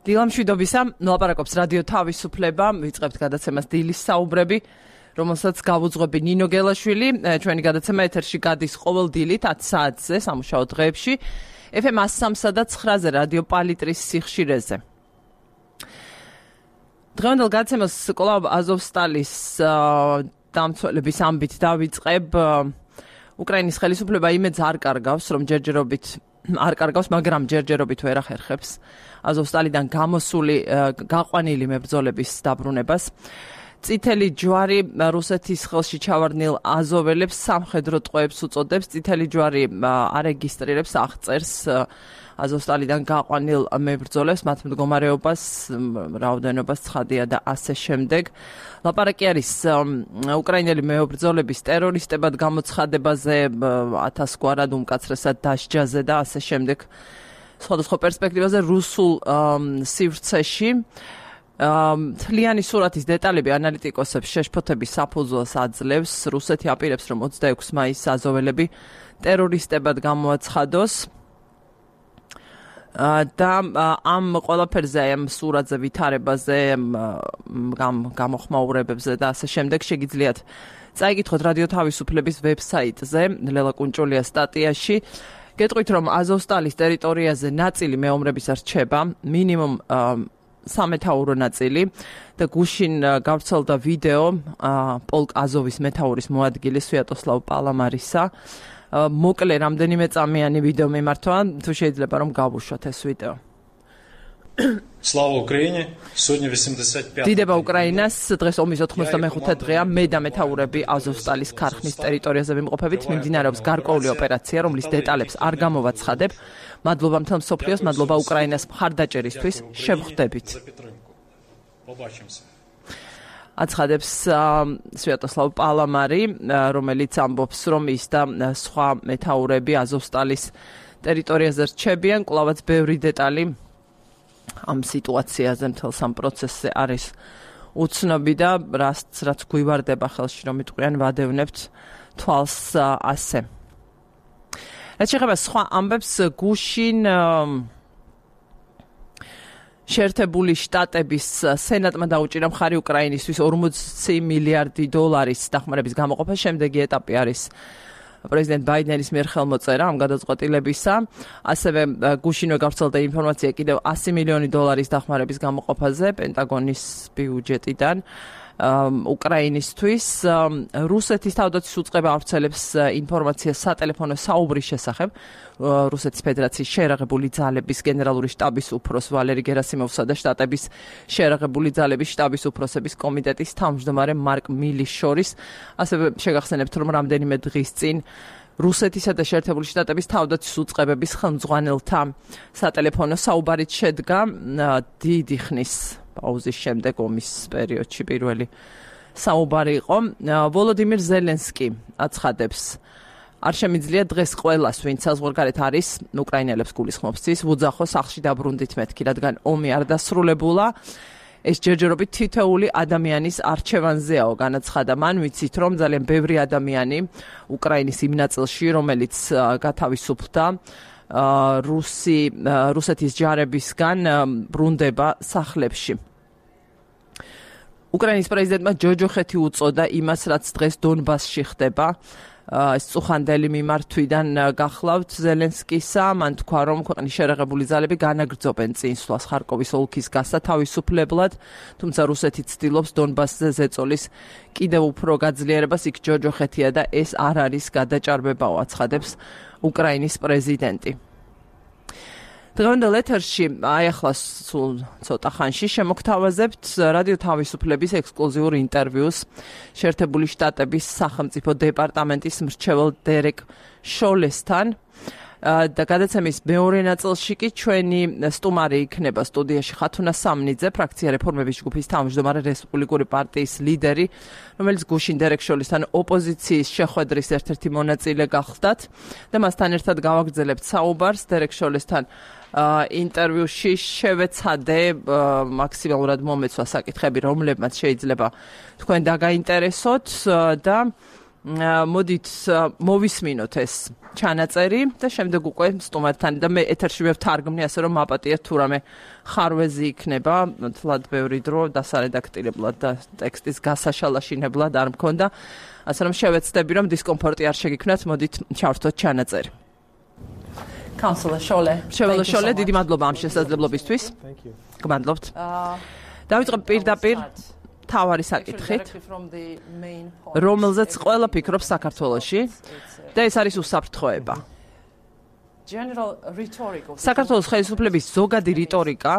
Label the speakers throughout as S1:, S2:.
S1: დილამშვიდობისა, მოლაპარაკობს რადიო თავისუფლება, ვიწყებთ გადაცემას დილის საუბრები, რომელსაც გავუძღვები ნინო გელაშვილი. ჩვენი გადაცემა ეთერში გადის ყოველ დილით 10 საათზე სამუშაო დღეებში, FM 103 და 9-ზე რადიო პალიტრის სიხშირეზე. დღევანდელ გადაცემას კვლავ აზოვსტალის დამცველების ამბით დავიწყებ. უკრაინის ხელისუფლება იმედს არ კარგავს, რომ ჯერჯერობით არ კარგავს, მაგრამ ჯერჯერობით ვერ ახერხებს აზოვსტალიდან გამოსული გაყვანილი მებრძოლების დაბრუნებას. წითელი ჯვარი რუსეთის ხელში ჩავარდნილ აზოველებს სამხედრო ტყვეებს უწოდებს. წითელი ჯვარი არეგისტრირებს, აღწერს აზოვსტალიდან გაყვანილ მებრძოლებს, მათ მდგომარეობას, რაოდენობას, ცხადია და ასე შემდეგ. ლაპარაკი არის უკრაინელი მებრძოლების ტერორისტებად გამოცხადებაზე, 1000 გვარად უმკაცრესად დასჯაზე და ასე შემდეგ. სხვადასხვა პერსპექტივაზე რუსულ სივრცეში. თლიანი სურათის დეტალები ანალიტიკოსებს შეშფოთების საფუძველს აძლევს. რუსეთი აპირებს, რომ 26 მაისს აზოველები ტერორისტებად გამოაცხადოს. და ამ ყველაფერზე, ამ სურათზე, ვითარებაზე, გამოხმაურებებზე და ასე შემდეგ შეგიძლიათ წაიკითხოთ რადიო თავისუფლების ვებსაიტზე, ლელა კუნჭულია სტატიაში. გეტყვით, რომ აზოვსტალის ტერიტორიაზე ნაწილი მეომრებისა რჩება, მინიმუმ სამეთაურო ნაწილი და გუშინ გავრცელდა ვიდეო პოლკ აზოვის მეთაურის მოადგილის სვიატოსლავ პალამარისა. მოკლე რამდენიმე წამიანი ვიდეო მიმართვა, თუ შეიძლება რომ გავუშვათ ეს ვიდეო.
S2: Слава Украине! Сегодня 85.
S1: დიდება უკრაინას, დღეს ომის 85 დღეა, მე და მეთაურები აზოვსტალის ქარხნის ტერიტორიაზე ვიმყოფებით, მიმდინარეობს გარკვეული ოპერაცია, რომლის დეტალებს არ გამოვაცხადებ. მადლობა მთელ მსოფლიოს, მადლობა უკრაინას მხარდაჭერისთვის, შევხვდებით. აცხადებს სვიატოსლავ პალამარი, რომელიც ამბობს, რომ ის და სხვა მეთაურები აზოვსტალის ტერიტორიაზე რჩებიან, კვლავაც ბევრი დეტალი ამ სიტუაციაზე, მთელ სამ პროცესზე არის უცნობი და რაც გვივარდება ხელში, რომ იტყვიან, ვადევნებთ თვალს ასე. რაც შეეხება სხვა ამბებს, გუშინ შეერთებული შტატების სენატმა დაუჭირა მხარი უკრაინისთვის 40 მილიარდი დოლარის დახმარების გამოყოფა. შემდეგი ეტაპი არის პრეზიდენტ ბაიდენის მიერ ხელმოწერა ამ გადაწყვეტილებისა. ასევე გუშინვე გავრცელდა ინფორმაცია კიდევ 100 მილიონი დოლარის დახმარების გამოყოფაზე პენტაგონის ბიუჯეტიდან უკრაინისთვის. რუსეთის თავდაცვის უწყება ავრცელებს ინფორმაციას სატელეფონო საუბრის შესახებ რუსეთის ფედერაციის შეერაღებული ძალების გენერალური შტაბის უფროს ვალერი გერასიმოვსა და შტატების შეერაღებული ძალების შტაბის უფროსების კომიტეტის თავმჯდომარე მარკ მილის შორის. ასევე შეგახსენებთ, რომ რამდენიმე დღის წინ რუსეთისა და შეერთებული შტატების თავდაცვის უწყებების ხელმძღვანელთა სატელეფონო საუბარით შედგა დიდი ხნის პაუზის შემდეგ ომის პერიოდში პირველი საუბარი იყო. ვოლოდიმირ ზელენსკი აცხადებს, არ შემიძლია დღეს ყველას, ვინც საზღვარგარეთ არის, უკრაინელებს გულისხმობს ის, ვუძახო სახლში დაბრუნდით მეთქი, რადგან ომი არ დასრულებულა. ეს ჯერჯერობით თითოეული ადამიანის არჩევანზეაო, განაცხადა მან, ვიცით, რომ ძალიან ბევრი ადამიანი უკრაინის იმ ნაწილში, რომელიც გათავისუფლდა რუსეთის ჯარებისგან, ბრუნდება სახლებში. უკრაინის პრეზიდენტმა ჯოჯოხეთი უწოდა იმას, რაც დღეს დონბასში ხდება. ეს წუხანდელი მიმართვიდან გახლავთ ზელენსკისა. მან თქვა, რომ ქვეყნის შეერაღებული ძალები განაგრძობენ წინსვლას ხარკოვის ოლქის გასათავისუფლებლად, თუმცა რუსეთი ცდილობს დონბასზე ზეწოლის კიდევ უფრო გაძლიერებას. იქ ჯოჯოხეთია და ეს არ არის გადაჭარბებაო, აცხადებს უკრაინის პრეზიდენტი. დღევანდელ ეთერში ახლა სულ ცოტა ხანში შემოგთავაზებთ რადიო თავისუფლების ექსკლუზიურ ინტერვიუს შეერთებული შტატების სახელმწიფო დეპარტამენტის მრჩეველ დერეკ შოლესთან. და გადაცემის მეორე ნაწილში კი ჩვენი სტუმარი იქნება სტუდიაში ხათუნა სამნიძე, ფრაქცია რეფორმების ჯგუფის თავმჯდომარე, რესპუბლიკური პარტიის ლიდერი, რომელიც გუშინ დერეკ შოლესთან ოპოზიციის შეხვედრის ერთ-ერთი მონაწილე გახლდათ და მასთან ერთად გავაგრძელებთ საუბარს. დერეკ შოლესთან ინტერვიუში შევეცადე მაქსიმალურად მომეცვა საკითხები, რომლებმაც შეიძლება თქვენ დაგაინტერესოთ და მოდით მოვისმინოთ ეს ჩანაწერი და შემდეგ უკვე სტუმართან და მე ეთერში ვთარგმნი ასე რომ მაპატიეთ თუ რამე ხარვეზი იქნება თლად ბევრი დრო დასარედაქტირებლად და ტექსტის გასაშალაშინებლად არ მქონდა ასე რომ შევეცდები რომ დისკომფორტი არ შეგიქმნათ მოდით ჩავრთოთ ჩანაწერი Councillor Shole დიდი მადლობა ამ შესაძლებლობისთვის გმადლობთ დავიწყებ პირდაპირ თავარი საკითხით, რომელზეც ყველა ფიქრობს საქართველოში და ეს არის უსაფრთხოება. საქართველოს ხელისუფლების ზოგადი რიტორიკა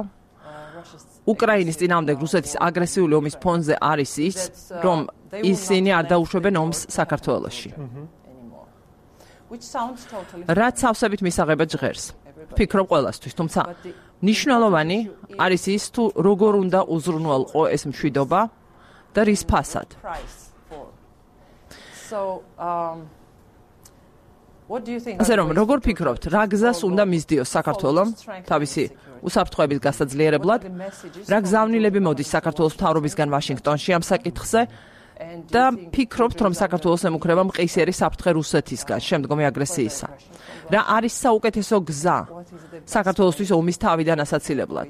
S1: უკრაინის წინააღმდეგ რუსეთის აგრესიული ომის ფონზე არის ის, რომ ისინი არ დაუშვებენ ომს საქართველოში. რაც სავსებით მისაღებად ჟღერს. ფიქრობ ყველასთვის, თუმცა ნიშნულოვანი არის ის, თუ როგორ უნდა უზრუნველყო ეს მშვიდობა და რის ფასად. ასე რომ, როგორ ფიქრობთ, რა გზას უნდა მისდიოს საქართველომ თავისი უსაფრთხოების გასაძლიერებლად, რა გზავნილები მოდის საქართველოს მთავრობისგან ვაშინგტონში ამ საკითხზე და ფიქრობთ, რომ საქართველოს ემუქრება მყისიერი საფრთხე რუსეთისგან შემდგომი აგრესიისა. რა არის საუკეთესო გზა საქართველოსთვის ომის თავიდან ასაცილებლად?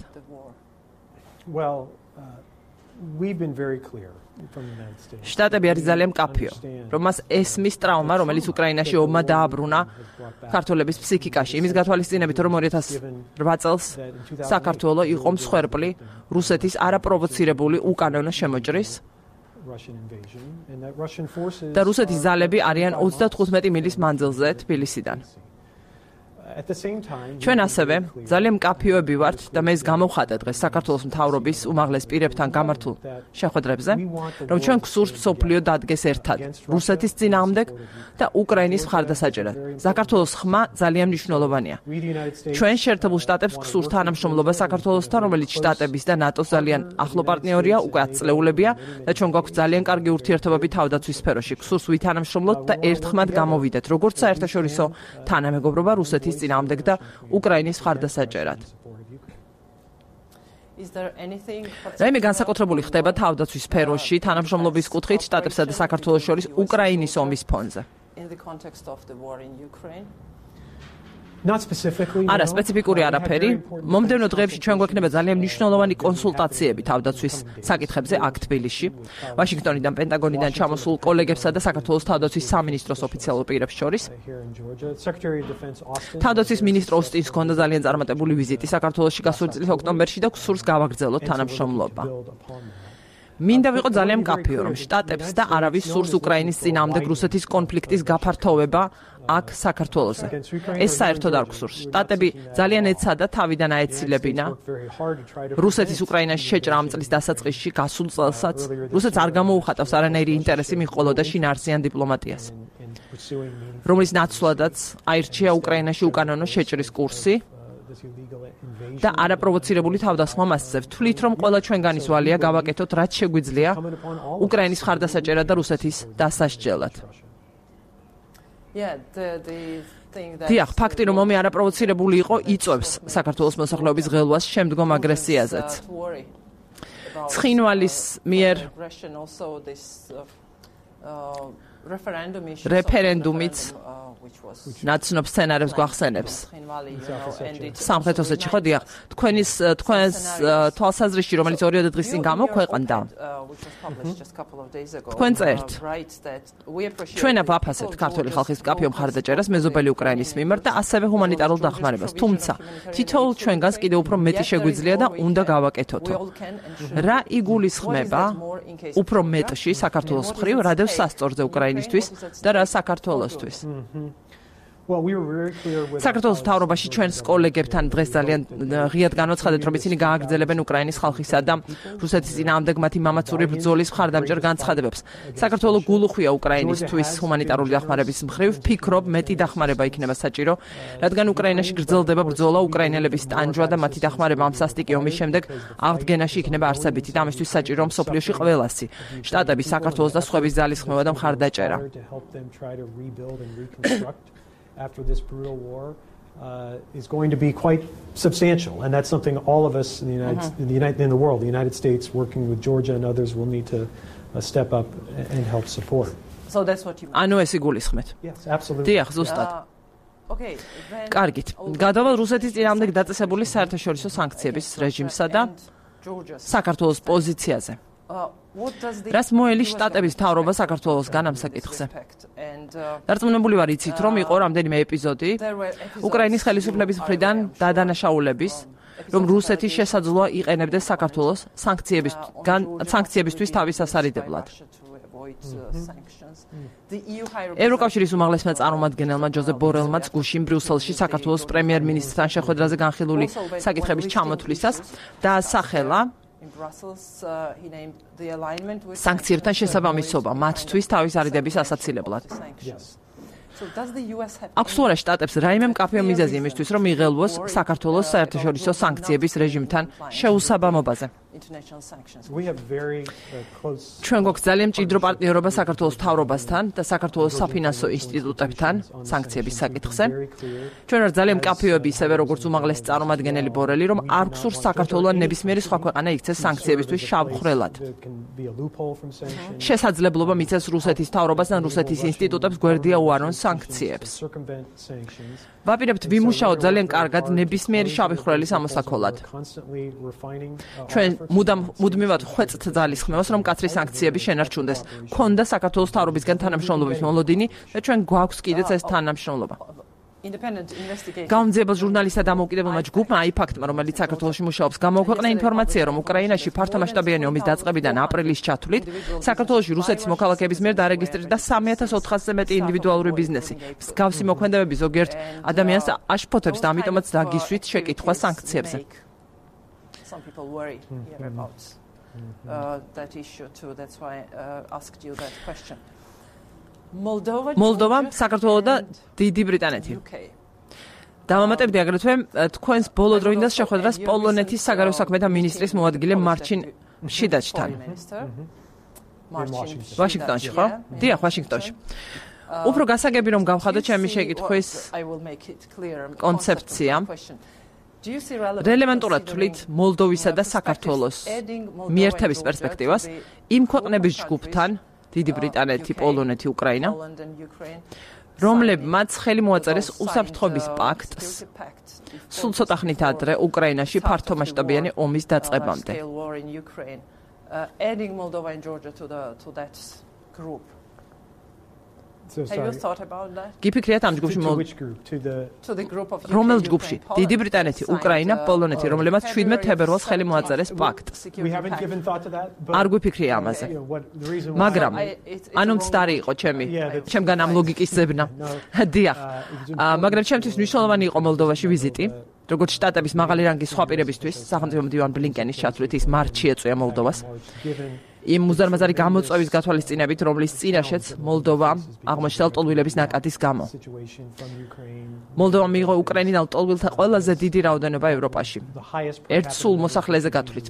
S1: შტატები არის ძალიან მკაფიო, რომ მას ესმის ტრავმა, რომელიც უკრაინაში ომმა დააბრუნა ქართველების ფსიქიკაში, იმის გათვალისწინებით, რომ 2008 წელს საქართველო იყო მსხვერპლი რუსეთის არაპროვოცირებული უკანონო შემოჭრის და რუსეთის ძალები არიან 35 მილის მანძილზე თბილისიდან. ჩვენ ასევე ძალიან მკაფიოები ვართ და მე ეს გამოვხატე დღეს საქართველოს მთავრობის უმაღლეს პირებთან გამართულ შეხვედრებზე, რომ ჩვენ გსურს მსოფლიო დადგეს ერთად რუსეთის წინააღმდეგ და უკრაინის მხარდასაჭერად. საქართველოს ხმა ძალიან მნიშვნელოვანია. ჩვენ შეერთებულ შტატებს გსურს თანამშრომლობა საქართველოსთან, რომელიც შტატების და ნატოს ძალიან ახლო პარტნიორია, უკვე ათწლეულებია და ჩვენ გვაქვს ძალიან კარგი ურთიერთობები თავდაცვის სფეროში. გსურს ვითანამშრომლოთ და ერთხმად გამოვიდეთ, როგორც საერთაშორისო თანამეგობრობა რუსეთის წინააღმდეგ და უკრაინის მხარდასაჭერად. რაიმე განსაკუთრებული ხდება თავდაცვის სფეროში თანამშრომლობის კუთხით შტატებსა და საქართველოს შორის უკრაინის ომის ფონზე. არა სპეციფიკური არაფერი. მომდევნო დღეებში ჩვენ გვექნება ძალიან მნიშვნელოვანი კონსულტაციები თავდაცვის საკითხებზე აქ თბილისში, ვაშინგტონიდან, პენტაგონიდან ჩამოსულ კოლეგებსა და საქართველოს თავდაცვის სამინისტროს ოფიციალურ პირებს შორის. თავდაცვის მინისტრ ოსტინს ჰქონდა ძალიან წარმატებული ვიზიტი საქართველოში გასული წლის ოქტომბერში და გსურს გავაგრძელოთ თანამშრომლობა. მინდა ვიყო ძალიან მკაფიო, რომ შტატებს და არავის სურს უკრაინის წინააღმდეგ რუსეთის კონფლიქტის გაფართოვება აქ საქართველოზე. ეს საერთოდ არ გსურს. შტატები ძალიან ეცადა თავიდან აეცილებინა რუსეთის უკრაინაში შეჭრა ამ წლის დასაწყისში გასულ წელსაც. რუსეთს არ გამოუხატავს არანაირი ინტერესი მიჰყოლოდა შინაარსიან დიპლომატიას, რომლის ნაცვლადაც აირჩია უკრაინაში უკანონო შეჭრის კურსი და არაპროვოცირებული თავდასხმა მასზე. ვთვლით, რომ ყველა ჩვენგანის ვალია გავაკეთოთ, რაც შეგვიძლია უკრაინის მხარდასაჭერად და რუსეთის დასასჯელად. დიახ, ფაქტი, რომ ომი არაპროვოცირებული იყო, იწვევს საქართველოს მოსახლეობის ღელვას შემდგომ აგრესიაზეც. ცხინვალის მიერ რეფერენდუმიც ნაცნობ სცენარებს გვახსენებს. სამხრეთ ოსეთში ხო დიახ, თქვენს თვალსაზრისში, რომელიც 2 დღის წინ გამოქვეყნდა, თქვენ წერთ, ჩვენ ვაფასებთ ქართული ხალხის მკაფიო მხარდაჭერას მეზობელი უკრაინის მიმართ და ასევე ჰუმანიტარულ დახმარებას, თუმცა თითოეულ ჩვენგანს კიდევ უფრო მეტი შეგვიძლია და უნდა გავაკეთოთო. რა იგულისხმება უფრო მეტში საქართველოს მხრივ, რადევს სასწორზე უკრაინისთვის და რა საქართველოსთვის? საქართველოს მთავრობაში ჩვენს კოლეგებთან დღეს ძალიან ღიად განვაცხადეთ, რომ ისინი გააგრძელებენ უკრაინის ხალხისა და რუსეთის წინააღმდეგ მათი მამაცური ბრძოლის მხარდამჭერ განცხადებებს. საქართველოს გულუხვია უკრაინისთვის ჰუმანიტარული დახმარების მხრივ, ფიქრობ მეტი დახმარება იქნება საჭირო, რადგან უკრაინაში გრძელდება ბრძოლა, უკრაინელების ტანჯვა და მათი დახმარება ამ სასტიკი ომის შემდეგ აღდგენაში იქნება არსებითი და ამისთვის საჭირო მსოფლიოში ყველასი, შტატები, საქართველოს და სხვების ძალისხმევა და მხარდაჭერა.
S3: After this brutal war is going to be quite substantial, and that's something all of us in the world, the United States, working with Georgia and others, will need to step up and help support.
S1: So that's what you mean. ანუ ეს იგულისხმეთ.
S3: Yes, absolutely.
S1: დიახ, ზუსტად. Okay, კარგით. გადავალ რუსეთის წინააღმდეგ დაწესებული საერთაშორისო სანქციების რეჟიმსა და საქართველოს პოზიციაზე. რას მოელი შტატების მთავრობა საქართველოსგან ამ საკითხზე? დარწმუნებული ვარ იცით, რომ იყო რამდენიმე ეპიზოდი უკრაინის ხელისუფლების მხრიდან დადანაშაულების, რომ რუსეთი შესაძლოა იყენებდეს საქართველოს სანქციებისთვის თავის სასარიდებლად. ევროკავშირის უმაღლესმა წარმომადგენელმა ჯოზეფ ბორელმაც გუშინ ბრიუსელში საქართველოს პრემიერ-მინისტრთან შეხვედრაზე განხილული საკითხების ჩამოთვლისას დაასახელა სანქციებთან შესაბამისობა მათთვის თავის არიდების ასაცილებლად. აქვს თუ არა შტატებს რაიმე მკაფიო მიზეზი იმისთვის, რომ იღელვოს საქართველოს საერთაშორისო სანქციების რეჟიმთან შეუსაბამობაზე? ჩვენ გვაქვს ძალიან მჭიდრო პარტნიორობა საქართველოს მთავრობასთან და საქართველოს საფინანსო ინსტიტუტებთან სანქციების საკითხზე. ჩვენ ვართ ძალიან მკაფიოები ისევე როგორც უმაღლესი წარმომადგენელი ბორელი, რომ არ გვსურს საქართველოს ან ნებისმიერი სხვა ქვეყანა იქცეს სანქციებისთვის შავხრელად. შესაძლებლობა მიცეს რუსეთის მთავრობას ან რუსეთის ინსტიტუტებს გვერდია უარონ სანქციებს. ვაპირებთ ვიმუშაოთ ძალიან კარგად ნებისმიერი შავი ხვრელის ამოსაქოლად. ჩვენ მუდმივად ხვეწთ ძალისხმევას, რომ მკაცრი სანქციები შენარჩუნდეს. ქონდა საქართველოს მთავრობისგან თანამშრომლობის მოლოდინი და ჩვენ გვაქვს კიდეც ეს თანამშრომლობა. გამძიებელ ჟურნალისტთა დამოუკიდებელმა ჯგუფმა აიფაქტმა, რომელიც საქართველოში მუშაობს, გამოაქვეყნა ინფორმაცია, რომ უკრაინაში ფართომასშტაბიანი ომის დაწყებიდან აპრილის ჩათვლით საქართველოში რუსეთის მოქალაქეების მიერ დარეგისტრირდა 3400-ზე მეტი ინდივიდუალური ბიზნესი. მსგავსი მოქმედებები ზოგიერთ ადამიანს აშფოთებს და ამიტომაც დაგისვით შეკითხვა სანქციებზე. Some people worry here about that issue too. That's why I asked you that question. Moldova, საქართველო და დიდი ბრიტანეთი. დავამატებდი აგრეთვე თქვენს ბოლო დროინდას შეხვედრას პოლონეთის საგარეო საქმეთა მინისტრის მოადგილე მარჩინ შიდაჩთან. ვაშინგტონში, ხო? დიახ, ვაშინგტონში. უფრო გასაგები რომ გავხადო ჩემი შეკითხვის კონცეფცია. რელევანტურად თვლით მოლდოვისა და საქართველოს მიერთების პერსპექტივას იმ ქვეყნების ჯგუფთან, დიდი ბრიტანეთი, პოლონეთი, უკრაინა, რომლებმაც ხელი მოაწერეს უსაფრთხოების პაქტს სულ ცოტა ხნით ადრე უკრაინაში ფართომასშტაბიანი ომის დაწყებამდე. გიფიქრიათ ამ ჯგუფში რომელ ჯგუფში? დიდი ბრიტანეთი, უკრაინა, პოლონეთი, რომლებმაც 17 თებერვალს ხელი მოაწერეს პაქტს. არ გვიფიქრია ამაზე. მაგრამ ანუ მცდარი იყო ჩემგან ამ ლოგიკის ზებნა. დიახ. მაგრამ ჩემთვის მნიშვნელოვანი იყო მოლდოვაში ვიზიტი. როგორც შტატების მაღალი რანგის სხვა პირებისთვის, სახელმწიფო მდივან ბლინკენის ჩათვლით ის მარტში ეწვია მოლდოვას. იმ მუზარმაზარი გამოწვევის გათვალისწინებით, რომლის წინაშეც მოლდოვა აღმოჩნდა ლტოლვილების ნაკადის გამო. მოლდოვა მიიღო უკრაინელ ლტოლვილთა ყველაზე დიდი რაოდენობა ევროპაში. ერთ სულ მოსახლეზე გათვლით.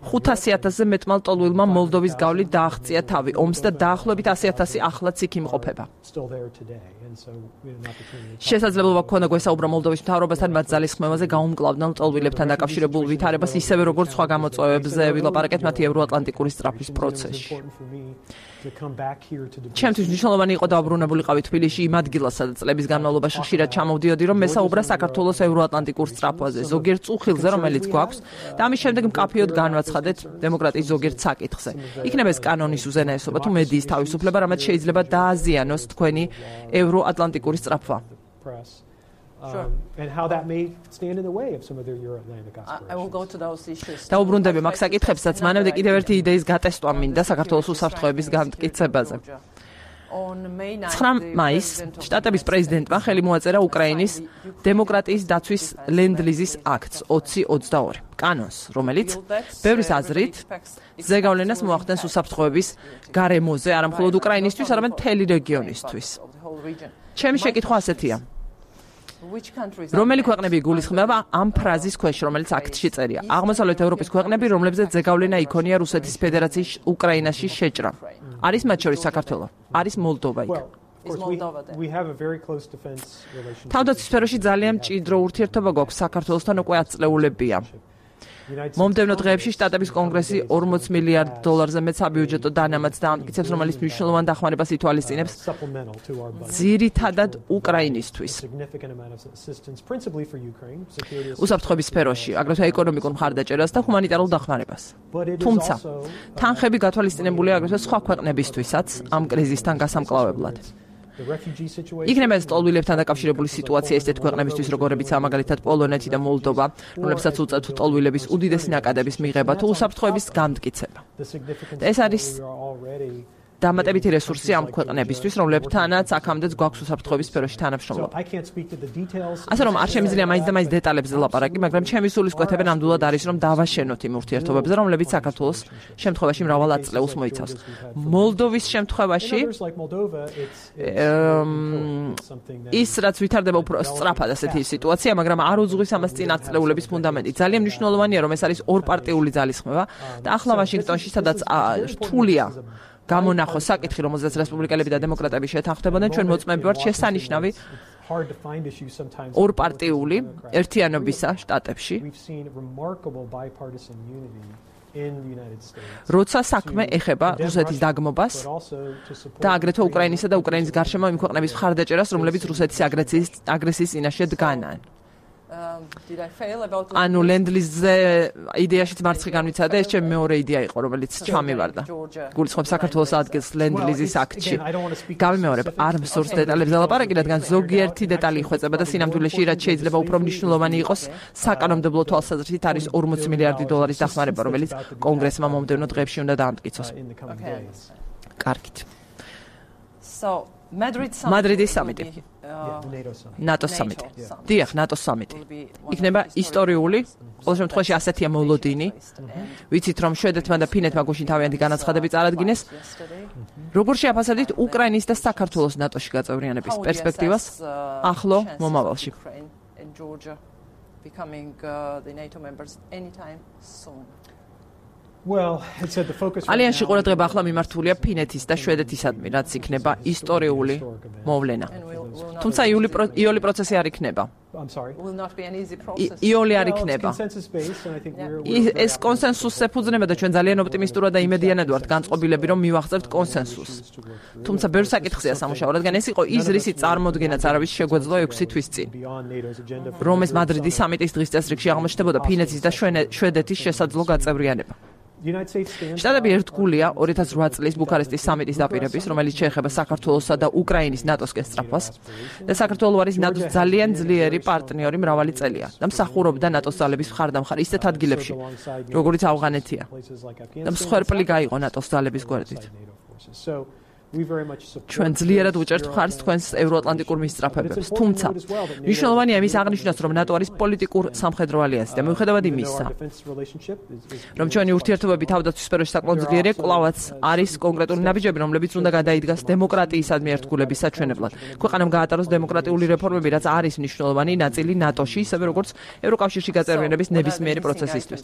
S1: 500,000-ზე მეტმა ლტოლვილმა მოლდოვის გავლით დააღწია თავი ომს და დაახლოებით 100,000 ახლაც იქ იმყოფება. შესაძლებლობა ჰქონდა გვესაუბრა მოლდოვის მთავრობასთან მათ ძალისხმევაზე გაუმკლავდნენ ლტოლვილებთან დაკავშირებულ ვითარებას, ისევე როგორც სხვა გამოწვევებზე ვილაპარაკეთ მათი ევროატლანტიკური სწრაფის პროცესში. ჩემთვის მნიშვნელოვანი იყო დავბრუნებულიყავი თბილისში იმ ადგილას, სადაც წლების განმავლობაში ხშირად ჩამოვდიოდი, რომ მესაუბრა საქართველოს ევროატლანტიკურ სწრაფვაზე, ზოგიერთ წუხილზე, რომელიც გვაქვს, და ამის შემდეგ მკაფიოდ განვაცხადეთ დემოკრატიის ზოგიერთ საკითხზე. იქნება ეს კანონის უზენაესობა თუ მედიის თავისუფლება, რამაც შეიძლება დააზიანოს თქვენი ევროატლანტიკური სწრაფვა.
S3: And how that may stand in the way of some of their Euro-Atlantic aspirations. I will go to those issues.
S1: დაუბრუნდები მაგ საკითხებსაც, მანამდე კიდევ ერთი იდეის გატესტვა მინდა საქართველოს უსაფრთხოების გამტკიცებაზე. 9 მაისს შტატების პრეზიდენტმა ხელი მოაწერა უკრაინის დემოკრატიის დაცვის ლენდ-ლიზის აქტს 2022 კანონს, რომელიც ბევრის აზრით ზეგავლენას მოახდენს უსაფრთხოების გარემოზე, არა მხოლოდ უკრაინისთვის, არამედ მთელი რეგიონისთვის. ჩემი შეკითხვა ასეთია. რომელი ქვეყნები იგულისხმება ამ ფრაზის ქვეშ, რომელიც აქტში წერია? აღმოსავლეთ ევროპის ქვეყნები, რომლებზეც ზეგავლენა იქონია რუსეთის ფედერაციის უკრაინაში შეჭრა. არის მათ შორის საქართველო, არის მოლდოვა იქ. თავდაცვის სფეროში ძალიან მჭიდრო ურთიერთობა გვაქვს საქართველოსთან უკვე 10 წლეულებია. მომდევნო დღეებში შტატების კონგრესი $40 მილიარდზე მეც საბიუჯეტო დანამატს დაამტკიცებს, რომელიც მნიშვნელოვან დახმარებას ითვალისწინებს ძირითადად უკრაინისთვის. უსაფრთხოების სფეროში, აგრეთვე ეკონომიკურ მხარდაჭერას და ჰუმანიტარულ დახმარებას. თუმცა, თანხები გათვალისწინებულია აგრეთვე სხვა ქვეყნებისთვისაც ამ კრიზისთან გასამკლავებლად. იქნება ეს ტოლვილებთან დაკავშირებული სიტუაცია ესეთ ქვეყნებისთვის, როგორებიცაა მაგალითად პოლონეთი და მოლდოვა, რომლებსაც უწევთ ტოლვილების უდიდესი ნაკადების მიღება თუ უსაფრთხოების გამტკიცება. და ეს არის დამატებითი რესურსი ამ ქვეყნებისთვის, რომლებთანაც აქამდეც გვაქვს უსაფრთხოების სფეროში თანამშრომლობა. ასე რომ არ შემიძლია მაინც და მაინც დეტალებზე ლაპარაკი, მაგრამ ჩემი სულისკვეთები ნამდვილად არის, რომ დავაშენოთ იმ ურთიერთობებზე, რომლებიც საქართველოს შემთხვევაში მრავალ ათწლეულს მოიცავს. მოლდოვის შემთხვევაში ის რაც ვითარდება უფრო სწრაფად ასეთი სიტუაცია, მაგრამ არ უძღვის ამას წინ ათწლეულების ფუნდამენტი. ძალიან მნიშვნელოვანია, რომ ეს არის ორპარტიული ძალისხმევა და ახლა ვაშინგტონში, სადაც რთულია გამონახოს საკითხი, რომელზეც რესპუბლიკელები და დემოკრატები შეთანხმდებოდნენ, ჩვენ მოწმეები ვართ შესანიშნავი ორპარტიული ერთიანობისა შტატებში. როცა საქმე ეხება რუსეთის დაგმობას და აგრეთვე უკრაინისა და უკრაინის გარშემო იმ ქვეყნების მხარდაჭერას, რომლებიც რუსეთის აგრესიის წინაშე დგანან. ანუ ლენდლიზზე იდეაშიც მარცხი განვიცადა, ეს ჩემი მეორე იდეა იყო, რომელიც ჩამივარდა. გულისხმობს საქართველოს ადგილს ლენდლიზის აქტში. გამიმეორებ, არ მსურს დეტალებზე ლაპარაკი, რადგან ზოგიერთი დეტალი იხვეწება და სინამდვილეში რაც შეიძლება უფრო მნიშვნელოვანი იყოს, საკანონმდებლო თვალსაზრისით არის $40 მილიარდი დახმარება, რომელიც კონგრესმა მომდევნო დღეებში უნდა დაამტკიცოს. კარგით. მადრიდის სამიტი. ნატოს სამიტი. დიახ, ნატოს სამიტი. იქნება ისტორიული, ყოველ შემთხვევაში ასეთია მოლოდინი. ვიცით, რომ შვედეთმა და ფინეთმა გუშინ თავიანთი განაცხადები წარადგინეს. როგორ შეაფასებთ უკრაინის და საქართველოს ნატოში გაწევრიანების პერსპექტივას ახლო მომავალში? ალიანსში ყურადღება ახლა მიმართულია ფინეთის და შვედეთისადმი, რაც იქნება ისტორიული მოვლენა. თუმცა იული პროცესი არ იქნება. იული არ იქნება. ეს კონსენსუსს ეფუძნება და ჩვენ ძალიან ოპტიმისტურად და იმედიანად ვართ განწყობილები, რომ მივახცევთ კონსენსუსს. თუმცა ბევრ საკითხზეა სამუშაო, რადგან ეს იყო ის რისი წარმოდგენაც არავის შეგვეძლო 6 თვის წინ. რომ ეს მადრიდის სამიტის დღის წესრიგში აღმოჩნდებოდა ფინეთის და შვედეთის შესაძლო გაწევრიანება. შტატები ერთგულია 2008 წლის ბუქარესტის სამიტის დაპირების, რომელიც შეეხება საქართველოსა და უკრაინის ნატოსკენ სწრაფვას და საქართველო არის ნატოს ძალიან ძლიერი პარტნიორი მრავალი წელია და მსახურობდა ნატოს ძალების მხარდამხარ ისეთ ადგილებში, როგორიც ავღანეთია და მსხვერპლი გაიღო ნატოს ძალების გვერდით. ჩვენ ძლიერად ვუჭერთ მხარს თქვენს ევროატლანტიკურ მისწრაფებებს, თუმცა მნიშვნელოვანია იმის აღნიშვნაც, რომ ნატო არის პოლიტიკურ სამხედრო ალიანსი და მიუხედავად იმისა, რომ ჩვენი ურთიერთობები თავდაცვის სფეროში საკმაოდ ძლიერია, კვლავაც არის კონკრეტული ნაბიჯები, რომლებიც უნდა გადაიდგას დემოკრატიისადმი ერთგულების საჩვენებლად. ქვეყანამ გაატაროს დემოკრატიული რეფორმები, რაც არის მნიშვნელოვანი ნაწილი ნატოში, ისევე როგორც ევროკავშირში გაწევრიანების ნებისმიერი პროცესისთვის.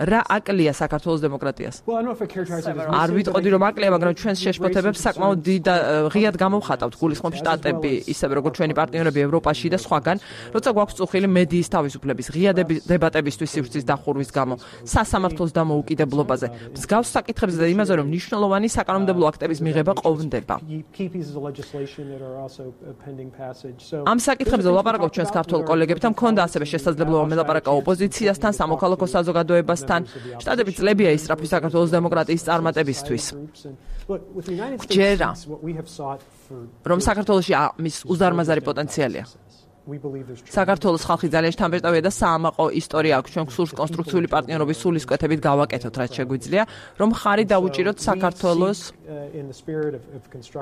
S1: რა აკლია საქართველოს დემოკრატიას? არ ვიტყოდი, რომ აკლია, მაგრამ ჩვენს შეშფოთებებს საკმაოდ ღიად გამოვხატავთ გულისხმობს შტატები, ისევე როგორც ჩვენი პარტნიორები ევროპაში და სხვაგან, როცა გვაქვს წუხილი მედიის თავისუფლების, ღია დებატებისთვის სივრცის დახურვის გამო, სასამართლოს დამოუკიდებლობაზე, მსგავს საკითხებზე და იმაზე, რომ მნიშვნელოვანი საკანონმდებლო აქტების მიღება ყოფნდება. ამ საკითხებზე ვლაპარაკობ ჩვენს ქართველ კოლეგებთან, მქონდა ასევე შესაძლებლობა მელაპარაკა ოპოზიციასთან, სამოქალაქო საზოგადოებასთან. შტატები წლებია ისწრაფვის საქართველოს დემოკრატიის წარმატებისთვის. გჯერა, რომ საქართველოში მის უზარმაზარი პოტენციალია. საქართველოს ხალხი ძალიან შთამბეჭდავია და საამაყო ისტორია აქვს. ჩვენ გსურს კონსტრუქციული პარტნიორობის სულისკვეთებით გავაკეთოთ, რაც შეგვიძლია, რომ ხარი დაუჭიროთ საქართველოს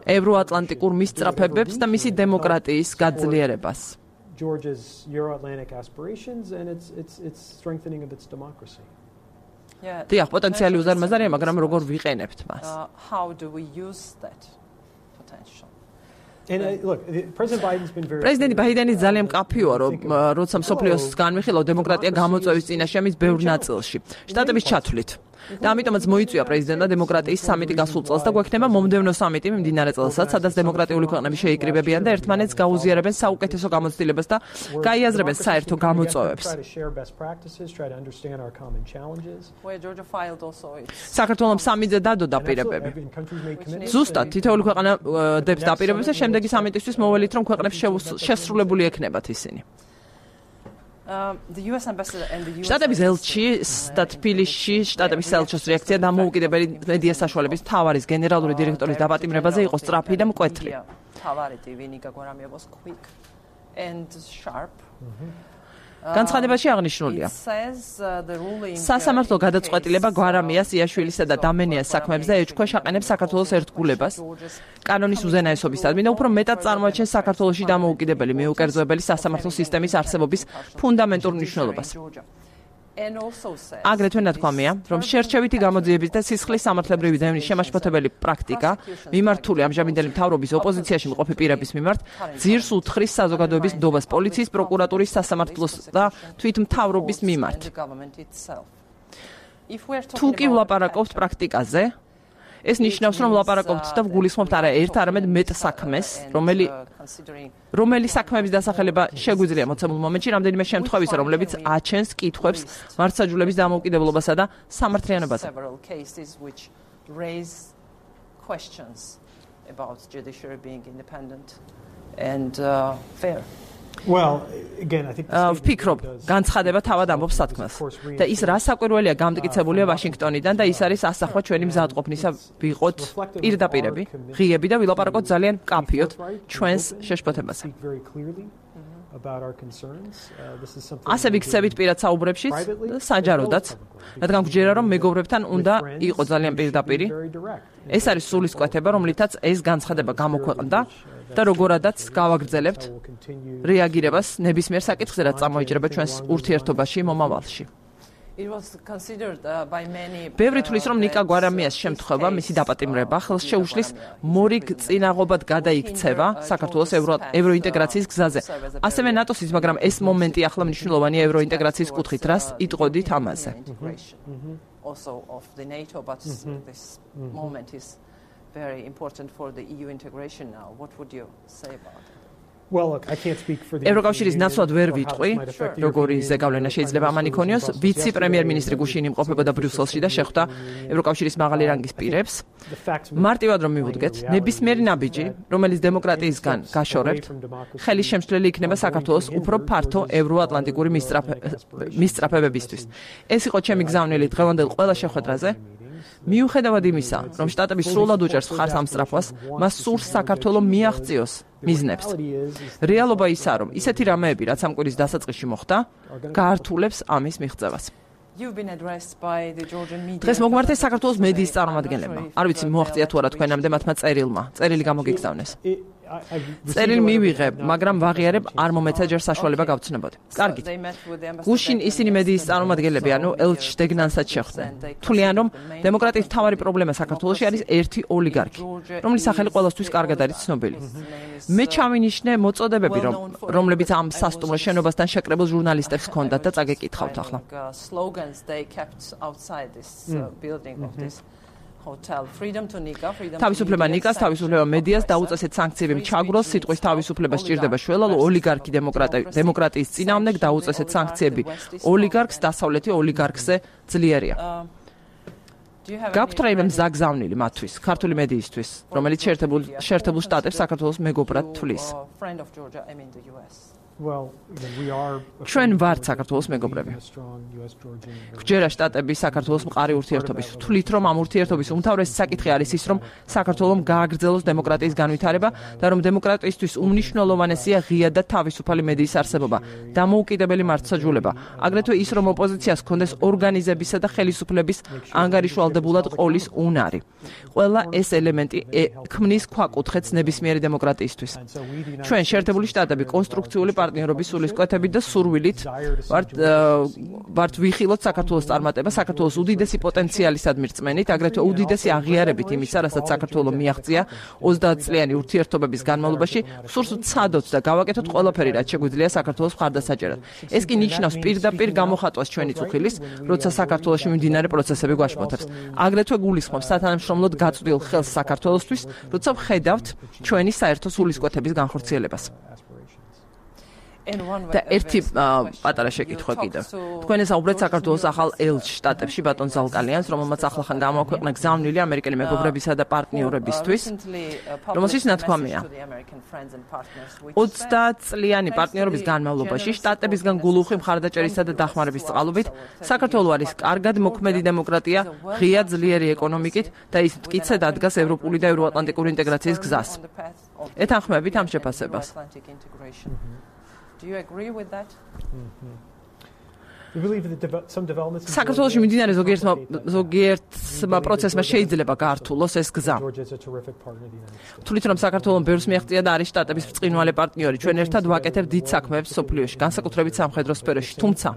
S1: ევროატლანტიკურ მისწრაფებებს და მისი დემოკრატიის გაძლიერებას. დიახ, პოტენციალი უზარმაზარია, მაგრამ როგორ ვიყენებთ მას? პრეზიდენტი ბაიდენი ძალიან მკაფიოა, რომ როცა მსოფლიოს განვიხილავ დემოკრატია გამოწვევის წინაშე ამის ბევრ ნაწილში. შტატების ჩათვლით. და ამიტომაც მოიწვია პრეზიდენტმა დემოკრატიის სამიტი გასულ წელს და გვექნება მომდევნო სამიტი მიმდინარე წელსაც, სადაც დემოკრატიული ქვეყნები შეიკრიბებიან და ერთმანეთს გაუზიარებენ საუკეთესო გამოცდილებას და გაიაზრებენ საერთო გამოწვევებს. საქართველოს სამიტზე დადო დაპირებები. ზუსტად თითოეული ქვეყანა დებს დაპირებებს და შემდეგი სამიტისთვის მოველით, რომ ქვეყნებს შესრულებული ექნებათ ისინი. შტატების ელჩის და თბილისში შტატების ელჩოს რეაქცია დამოუკიდებელი მედია საშუალების მთავარის გენერალური დირექტორის დაპატიმრებაზე იყო სწრაფი და მკვეთრი. განცხადებაში აღნიშნულია. სასამართლო გადაწყვეტილება გვარამიას, იაშვილისა და დამენიას საქმეებზე ეჭქვეშ აყენებს საქართველოს ერთგულებას, კანონის უზენაესობისადმი და უფრო მეტად წარმოაჩენს საქართველოში დამოუკიდებელი მიუკერძოებელი სასამართლო სისტემის არსებობის ფუნდამენტურ მნიშვნელობას. აგრეთვე ნათქვამია, რომ შერჩევითი გამოძიების და სისხლის სამართლებრივი დევნის შემაშფოთებელი პრაქტიკა მიმართული ამჟამინდელი მთავრობის ოპოზიციაში მყოფი პირების მიმართ ძირს უთხრის საზოგადოების ნდობას პოლიციის, პროკურატურის, სასამართლოს და თვითმთავრობის მიმართ. თუ კი ვლაპარაკობთ პრაქტიკაზე, ეს ნიშნავს, რომ ვლაპარაკობთ და ვგულისხმობთ არა ერთ, არამედ მეტ საქმეს, რომელი საქმეების დასახელება შეგვიძლია მოცემულ მომენტში რამდენიმე შემთხვევისა, რომლებიც აჩენს კითხვებს მართლმსაჯულების დამოუკიდებლობასა და სამართლიანობაზე. ვფიქრობ, განცხადება თავად ამბობს სათქმელს და ის რა საკვირველია გამტკიცებულია ვაშინგტონიდან და ის არის ასახვა ჩვენი მზადყოფნისა ვიყოთ პირდაპირები, ღიები და ვილაპარაკოთ ძალიან მკაფიოდ ჩვენს შეშფოთებაზე. ასე ვიქცევით პირად საუბრებშიც და საჯაროდაც, რადგან გვჯერა, რომ მეგობრებთან უნდა იყო ძალიან პირდაპირი. ეს არის სულისკვეთება, რომლითაც ეს განცხადება გამოქვეყნდა და როგორადაც გავაგრძელებთ რეაგირებას ნებისმიერ საკითხზე, რაც წამოიჭრება ჩვენს ურთიერთობაში მომავალში. ბევრი თვლის, რომ ნიკა გვარამიას შემთხვევა, მისი დაპატიმრება ხელს შეუშლის მორიგ წინაღობად გადაიქცევა საქართველოს ევროინტეგრაციის გზაზე. ასევე ნატოსის, მაგრამ ეს მომენტი ახლა მნიშვნელოვანია ევროინტეგრაციის კუთხით, რას იტყოდით ამაზე.
S4: Very important for the EU integration now. What would you say about it?
S1: ევროკავშირის ნაცვლად ვერ ვიტყვი, როგორი ზეგავლენა შეიძლება ამან იქონიოს. ვიცი პრემიერ-მინისტრი გუშინ იმყოფებოდა ბრიუსელში და შეხვდა ევროკავშირის მაღალი რანგის პირებს. მარტივად რომ მივუდგეთ, ნებისმიერი ნაბიჯი, რომელიც დემოკრატიისგან გაშორებთ, ხელის შემცვლელი იქნება საქართველოს უფრო ფართო ევროატლანტიკური მისწრაფებებისთვის. ეს იყო ჩემი გზავნილი დღევანდელ ყველა შეხვედრაზე. მიუხედავად იმისა, რომ შტატები სრულად უჭერს მხარს ამ სწრაფვას, მას სურს საქართველოს მიაღწიოს მიზნებს. რეალობა ისაა, რომ ისეთი რამეები, რაც ამ კვირის დასაწყისში მოხდა, გაართულებს ამის მიღწევას. დღეს მოგმართეს საქართველოს მედიის წარმომადგენლებმა. არ ვიცი მოაღწია თუ არა თქვენამდე მათმა წერილმა. წერილი გამოგიგზავნეს. წერილი მივიღებ, მაგრამ ვაღიარებ, არ მომეცა ჯერ საშუალება გავცნობოდი. კარგით. გუშინ ისინი მედიის წარმომადგენლები, ანუ ელჩ დეგნანსაც შეხვდნენ. თვლიან, რომ დემოკრატიის მთავარი პრობლემა საქართველოში არის ერთი ოლიგარქი, რომლის სახელი ყველასთვის კარგად არის ცნობილი. მე ჩავინიშნე მოწოდებები, რომლებიც ამ სასტუმრო შენობასთან შეკრებილ ჟურნალისტებს ჰქონდათ და წაგეკითხავთ ახლა. თავისუფლება ნიკას, თავისუფლება მედიას, დაუწესეთ საანქციები ჩაგროს, სიტყვის თავისუფლება სჭირდება შველალო ოლიგარქი დემოკრატიის წინააღმდეგ, დაუწესეთ საანქციები ოლიგარქს, დასავლეთი ოლიგარქზე ძლიერია. გაქვთ რაიმე მზაგზავნილი მათთვის, ქართული მედიისთვის, რომელიც შეერთებულ შტატებს საქართველოს მეგობრად თვლის. ჩვენ ვართ საქართველოს მეგობრები. გვჯერა შტატები საქართველოს მყარი ურთიერთობის. ვთვლით, რომ ამ ურთიერთობის უმთავრესი საკითხი არის ის, რომ საქართველოს გააგრძელოს დემოკრატიის განვითარება და რომ დემოკრატიისთვის უმნიშვნელოვანესია ღია და თავისუფალი მედიის არსებობა, დამოუკიდებელი მართლმსაჯულება, აგრეთვე ის, რომ ოპოზიციას ჰქონდეს ორგანიზებისა და ხელისუფლების ანგარიშვალდებულად ყოლის უნარი. ყველა ეს ელემენტი ქმნის ქვაკუთხედს ნებისმიერი დემოკრატიისთვის. ჩვენ შეერთებული შტატები კონსტრუქციული პარტნიორობის სულისკვეთებით და სურვილით ვართ ვიხილოთ საქართველოს წარმატება, საქართველოს უდიდესი პოტენციალისადმი რწმენით, აგრეთვე უდიდესი აღიარებით იმისა, რასაც საქართველოს მიაღწია 30 წლიანი ურთიერთობების განმავლობაში, სურს ვცადოთ და გავაკეთოთ ყველაფერი, რაც შეგვიძლია საქართველოს მხარდასაჭერად. ეს კი ნიშნავს პირდაპირ გამოხატვას ჩვენი წუხილის, როცა საქართველოში მიმდინარე პროცესები გვაშფოთებს. აგრეთვე გულისხმობს სათანამშრომლოდ გაწვდილ ხელს საქართველოსთვის, როცა ვხედავთ ჩვენი საერთო სულისკვეთების განხორციელებას. და ერთი პატარა შეკითხვა კიდევ. თქვენ ესაუბრეთ საქართველოს ახალ ელჩ შტატებში ბატონ ზალკალიანს, რომელმაც ახლახან გამოაქვეყნა გზავნილი ამერიკელი მეგობრებისა და პარტნიორებისთვის, რომელშიც ნათქვამია. 30 წლიანი პარტნიორობის განმავლობაში შტატებისგან გულუხი მხარდაჭერისა და დახმარების წყალობით საქართველო არის კარგად მოქმედი დემოკრატია, ღია ძლიერი ეკონომიკით და ის მტკიცედ ადგას ევროპული და ევროატლანტიკური ინტეგრაციის გზას. ეთანხმებით ამ შეფასებას?
S4: Do you agree with that?
S1: საქართველოში მიმდინარე ზოგიერთმა პროცესმა შეიძლება გაართულოს ეს გზა. თვლით რომ საქართველოს ბევრს მიაღწია და არის შტატების ბრწყინვალე პარტნიორი, ჩვენ ერთად ვაკეთებთ დიდ საქმეებს სოფლიოში, განსაკუთრებით სამხედრო სფეროში. თუმცა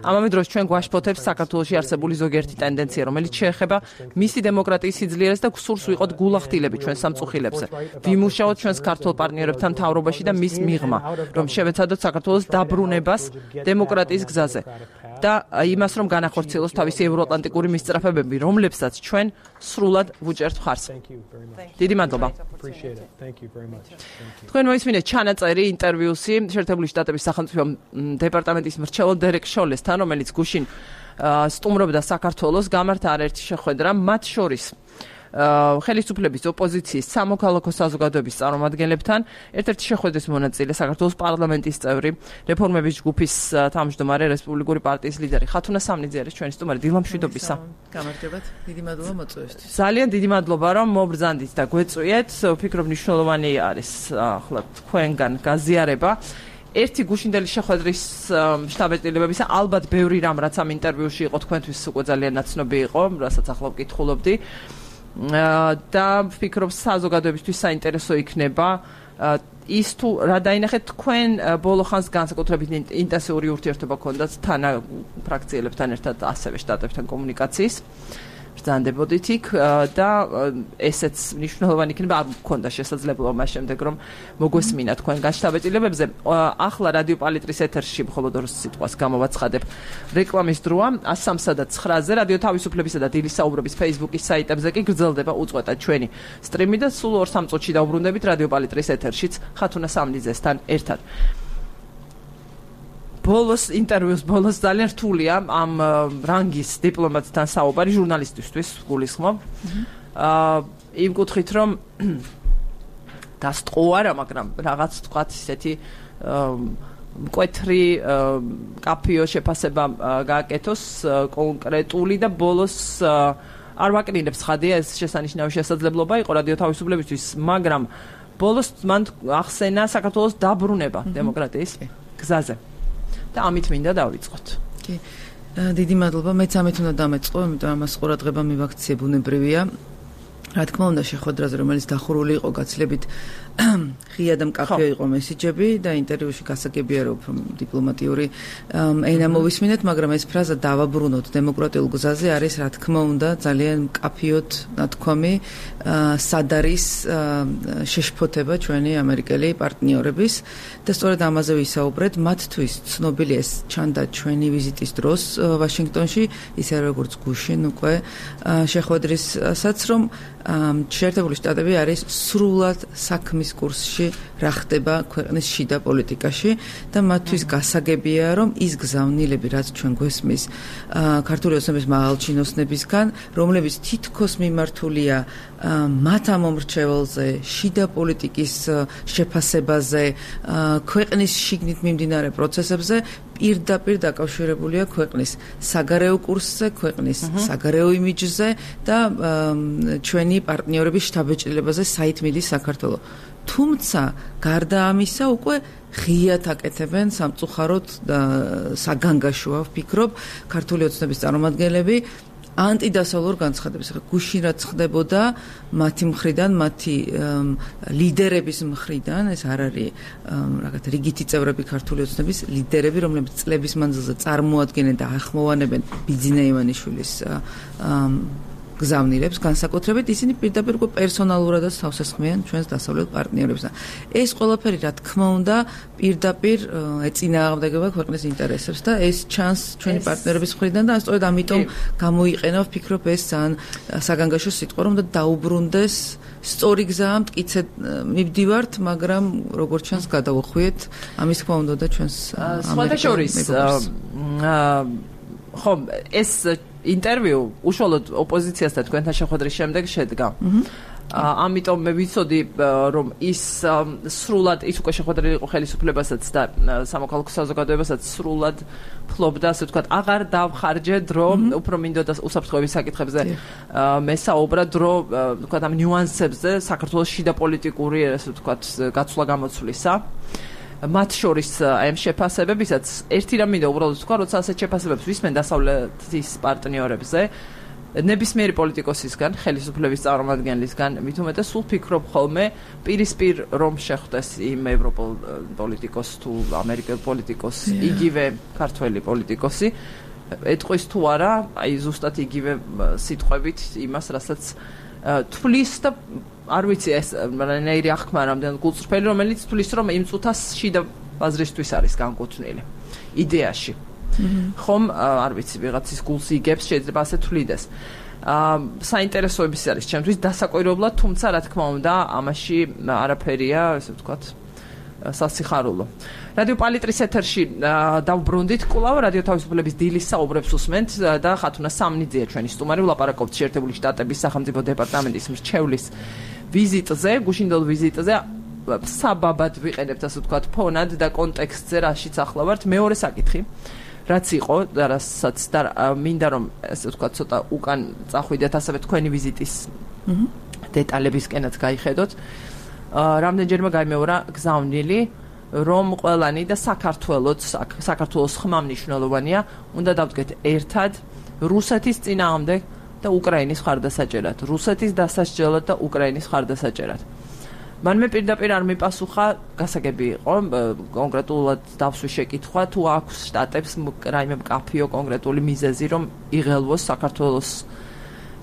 S1: ამავე დროს ჩვენ გვაშფოთებს საქართველოში არსებული ზოგიერთი ტენდენცია, რომელიც შეეხება მისი დემოკრატიის სიძლიერეს და გსურს ვიყოთ გულახდილები ჩვენ სამწუხილებზე. ვიმუშაოთ ჩვენს ქართულ პარტნიორებთან მთავრობაში და მის მიღმა, რომ შევეცადოთ საქართველოს დაბრუნებას დემოკრატიის გზაზე. და იმას რომ განახორციელოს თავისი ევროატლანტიკური მისწრაფებები, რომლებსაც ჩვენ სრულად ვუჭერთ მხარს. დიდი მადლობა. თქვენ მოისმინეთ ჩანაწერი ინტერვიუსი შეერთებული შტატების სახელმწიფო დეპარტამენტის მრჩეველ დერეკ შოლესთან, რომელიც გუშინ სტუმრობდა საქართველოს, გამართა არაერთი შეხვედრა, მათ შორის ხელისუფლების ოპოზიციის სამოქალაქო საზოგადოების წარმომადგენლებთან, ერთ-ერთი შეხვედრის მონაწილე საქართველოს პარლამენტის წევრი, რეფორმების ჯგუფის თავმჯდომარე, რესპუბლიკური პარტიის ლიდერი ხათუნა სამნიძე არის ჩვენი სტუმარი. დილამშვიდობისა.
S5: გამარჯობათ. დიდი მადლობა მოწვევისთვის.
S1: ძალიან დიდი მადლობა რომ მობრძანდით და გვეწვიეთ. ვფიქრობ მნიშვნელოვანი არის ახლა თქვენგან გაზიარება. ერთი გუშინდელი შეხვედრის შტაბ-ეტილებებისა, ალბათ ბევრი რამ რაც ამ ინტერვიუში იყო თქვენთვის უკვე ძალიან ნაცნობი იყო, რასაც ახლა ვკითხულობდი. და ვფიქრობ საზოგადოებისთვის საინტერესო იქნება ის თუ რა დაინახეთ თქვენ ბოლო ხანს განსაკუთრებით ინტენსიური ურთიერთობა გქონდათ თანა ფრაქციელებთან ერთად ასევე შტატებთან კომუნიკაციის ბრძანდებოდით იქ და ესეც მნიშვნელოვანი იქნება არ მქონდა შესაძლებლობა მას შემდეგ რომ მოგვესმინა თქვენგან შტაბ-ეტილებებზე ახლა რადიო პალიტრის ეთერში მხოლოდ ორ სიტყვას გამოვაცხადებ რეკლამის დროა 103 და 9-ზე რადიო თავისუფლებისა და დილის საუბრობის Facebook-ის საიტებზე კი გრძელდება უწყვეტად ჩვენი სტრიმი და სულ 2-3 წუთში დავბრუნდებით რადიო პალიტრის ეთერშიც ხათუნა სამნიძესთან ერთად ბოლოს ინტერვიუს ბოლოს ძალიან რთულია ამ რანგის დიპლომატთან საუბარი ჟურნალისტისთვის გულისხმობ. იმ კუთხით რომ დასტყუარა, მაგრამ რაღაც თქვათ ისეთი მკვეთრი კაფეო შეფასება გააკეთოს კონკრეტული და ბოლოს არ ვაკნინებს ხადია ეს შესანიშნავი შესაძლებლობა იყო რადიო თავისუფლებისთვის, მაგრამ ბოლოს მან ახსენა საქართველოს დაბრუნება დემოკრატიის გზაზე. და ამით მინდა დავიწყოთ.
S5: კი. დიდი მადლობა. მეც ამით უნდა დამეწყო, იმიტომ ამას ყურადღება მივაქციე ბუნებრივია. რა თქმა უნდა, შეხვედრაზე, რომელიც დახურული იყო გაცილებით ღია და მკაფიო იყო მესიჯები და ინტერვიუში გასაგებია რომ დიპლომატიური ენა მოვისმინეთ, მაგრამ ეს ფრაზა დავაბრუნოთ დემოკრატიულ გზაზე არის რა თქმა უნდა ძალიან მკაფიოდ ნათქვამი სად არის შეშფოთება ჩვენი ამერიკელი პარტნიორების და სწორედ ამაზე ვისაუბრეთ. მათთვის ცნობილი ეს ჩანდა ჩვენი ვიზიტის დროს ვაშინგტონში, ისე როგორც გუშინ უკვე შეხვედრისაც რომ შეერთებული შტატები არის სრულად საქმის კურსში რა ხდება ქვეყნის შიდა პოლიტიკაში და მათთვის გასაგებია რომ ის გზავნილები რაც ჩვენ გვესმის ქართული ოცნების მაღალჩინოსნებისგან რომლებიც თითქოს მიმართულია მათ ამომრჩეველზე შიდა პოლიტიკის შეფასებაზე ქვეყნის შიგნით მიმდინარე პროცესებზე პირდაპირ დაკავშირებულია ქვეყნის საგარეო კურსზე, ქვეყნის საგარეო იმიჯზე და ჩვენი პარტნიორების შთაბეჭდილებაზე საით მიდის საქართველო. თუმცა გარდა ამისა უკვე ღიად აკეთებენ სამწუხაროდ საგანგაშოა ვფიქრობ ქართული ოცნების წარმომადგენლები ანტიდასავლურ განცხადებას. ახლა გუშინ რაც ხდებოდა მათი მხრიდან, მათი ლიდერების მხრიდან, ეს არ არის რაღაც რიგითი წევრები ქართული ოცნების ლიდერები, რომლებიც წლების მანძილზე წარმოადგენენ და ახმოვანებენ ბიძინა ივანიშვილის გზავნილებს, განსაკუთრებით ისინი პირდაპირ უკვე პერსონალურადაც თავს ესხმიან ჩვენს დასავლელ პარტნიორებს. ეს ყველაფერი, რა თქმა უნდა, პირდაპირ ეწინააღმდეგება ქვეყნის ინტერესებს და ეს ჩანს ჩვენი პარტნიორების მხრიდან და სწორედ ამიტომ გამოიყენა, ვფიქრობ, ეს ძალიან საგანგაშო სიტყვა, რომ დაუბრუნდეს სწორი გზა, მტკიცედ მივდივართ, მაგრამ როგორც ჩანს გადავუხვიეთ, ამის თქმა უნდა და ჩვენს
S1: სხვადასხვა ხო ეს ინტერვიუ უშუალოდ ოპოზიციასთან თქვენთან შეხვედრის შემდეგ შედგა. ამიტომ მე ვიცოდი რომ ის სრულად ის უკვე შეხვედრილი იყო ხელისუფლებასაც და სამოქალაქო საზოგადოებასაც სრულად ფლობდა, ასე ვთქვათ, აღარ დავხარჯე დრო, უფრო მინდოდა უსაფრთხოების საკითხებზე მესაუბრა დრო, ვთქვათ, ამ ნიუანსებზე საქართველოს შიდა პოლიტიკური, ასე ვთქვათ, გაცვლა-გამოცვლისა. მათ შორის აი ამ შეფასებებისაც ერთი რამ მინდა უბრალოდ თქვა, როცა ასეთ შეფასებებს ვისმენ დასავლეთის პარტნიორებზე, ნებისმიერი პოლიტიკოსისგან, ხელისუფლების წარმომადგენლისგან, მით უმეტეს სულ ფიქრობ ხოლმე პირისპირ რომ შეხვდეს იმ ევროპულ პოლიტიკოს თუ ამერიკელ პოლიტიკოს, იგივე ქართველი პოლიტიკოსი, ეტყვის თუ არა, აი ზუსტად იგივე სიტყვებით იმას, რასაც თვლის და არ ვიცი ეს რანაირი აღქმა რამდენად გულწრფელი, რომელიც თვლის რომ იმ წუთას შიდა ბაზრისთვის არის განკუთვნილი იდეაში. ხომ არ ვიცი ვიღაცის გულს იგებს, შეიძლება ასე თვლიდეს. საინტერესოების არის ჩემთვის დასაკვირვებლად, თუმცა რა თქმა უნდა, ამაში არაფერია, ასე ვთქვათ, სასიხარულო. რადიო პალიტრის ეთერში დავბრუნდით კვლავ რადიო თავისუფლების დილის საუბრებს უსმენთ და ხათუნა სამნიძეა ჩვენი სტუმარი, ვლაპარაკობთ შეერთებული შტატების სახელმწიფო დეპარტამენტის მრჩევლის ვიზიტზე, გუშინდელ ვიზიტზე. საბაბად ვიყენებთ, ასე ვთქვათ, ფონად და კონტექსტზე რაშიც ახლა ვართ. მეორე საკითხი, რაც იყო, რასაც მინდა რომ ასე ვთქვათ, ცოტა უკან წახვიდეთ, ასევე თქვენი ვიზიტის დეტალებისკენაც გაიხედოთ. რამდენჯერმე გაიმეორა გზავნილი, რომ ყველანი და საქართველოს ხმა მნიშვნელოვანია, უნდა დავდგეთ ერთად რუსეთის წინააღმდეგ და უკრაინის მხარდასაჭერად, რუსეთის დასასჯელად და უკრაინის მხარდასაჭერად. მან მე პირდაპირ არ მიპასუხა, გასაგები იყო, კონკრეტულად დავსვი შეკითხვა, თუ აქვს შტატებს რაიმე მკაფიო კონკრეტული მიზეზი, რომ იღელვოს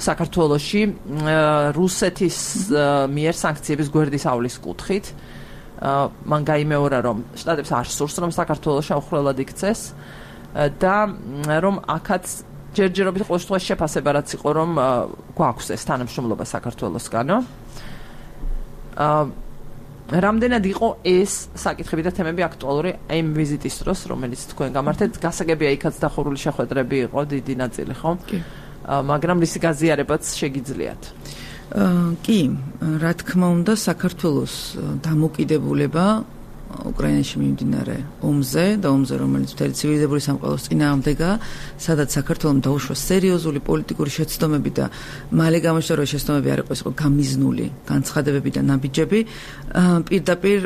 S1: საქართველოში რუსეთის მიერ სანქციების გვერდის ავლის კუთხით. მან გაიმეორა, რომ შტატებს არ სურს, რომ საქართველოს შეუხრელად იქცეს და რომ აქაც ჯერჯერობით ყოველ შემთხვევაში შეფასება რაც იყო, რომ გვაქვს ეს თანამშრომლობა საქართველოსგანო. რამდენად იყო ეს საკითხები და თემები აქტუალური იმ ვიზიტის დროს, რომელიც თქვენ გამართეთ, გასაგებია იქაც დახურული შეხვედრები იყო დიდი ნაწილი, ხო? მაგრამ რისი გაზიარებაც შეგიძლიათ.
S5: კი, რა თქმა უნდა, საქართველოს დამოკიდებულება უკრაინაში მიმდინარე ომზე და ომზე, რომელიც მთელი ცივილიზებული სამყაროს წინააღმდეგაა, სადაც საქართველოს დაუშვა სერიოზული პოლიტიკური შეცდომები და მალე გამოჩნდა, რომ შეცდომები არ იყო გამიზნული განცხადებები და ნაბიჯები, პირდაპირ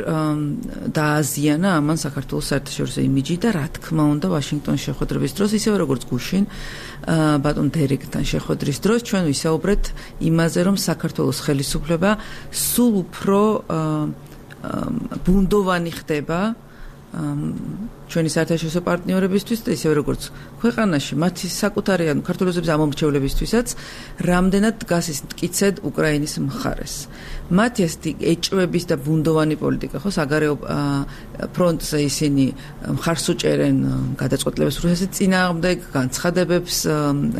S5: დააზიანა ამან საქართველოს საერთაშორისო იმიჯი და რა თქმა უნდა, ვაშინგტონის შეხვედრების დროს, ისევე როგორც გუშინ ბატონ დერეკთან შეხვედრის დროს, ჩვენ ვისაუბრეთ იმაზე, რომ საქართველოს ხელისუფლება სულ უფრო ბუნდოვანი ხდება ჩვენი საერთაშორისო პარტნიორებისთვის და ისევე როგორც ქვეყანაში მათი საკუთარი ანუ ქართველების ამომრჩევლებისთვისაც რამდენად დგას ის მტკიცედ უკრაინის მხარეს. მათი ასეთი ეჭვების და ბუნდოვანი პოლიტიკა ხო საგარეო ფრონტზე ისინი მხარს უჭერენ გადაწყვეტილებას რუსეთის წინააღმდეგ, განცხადებებს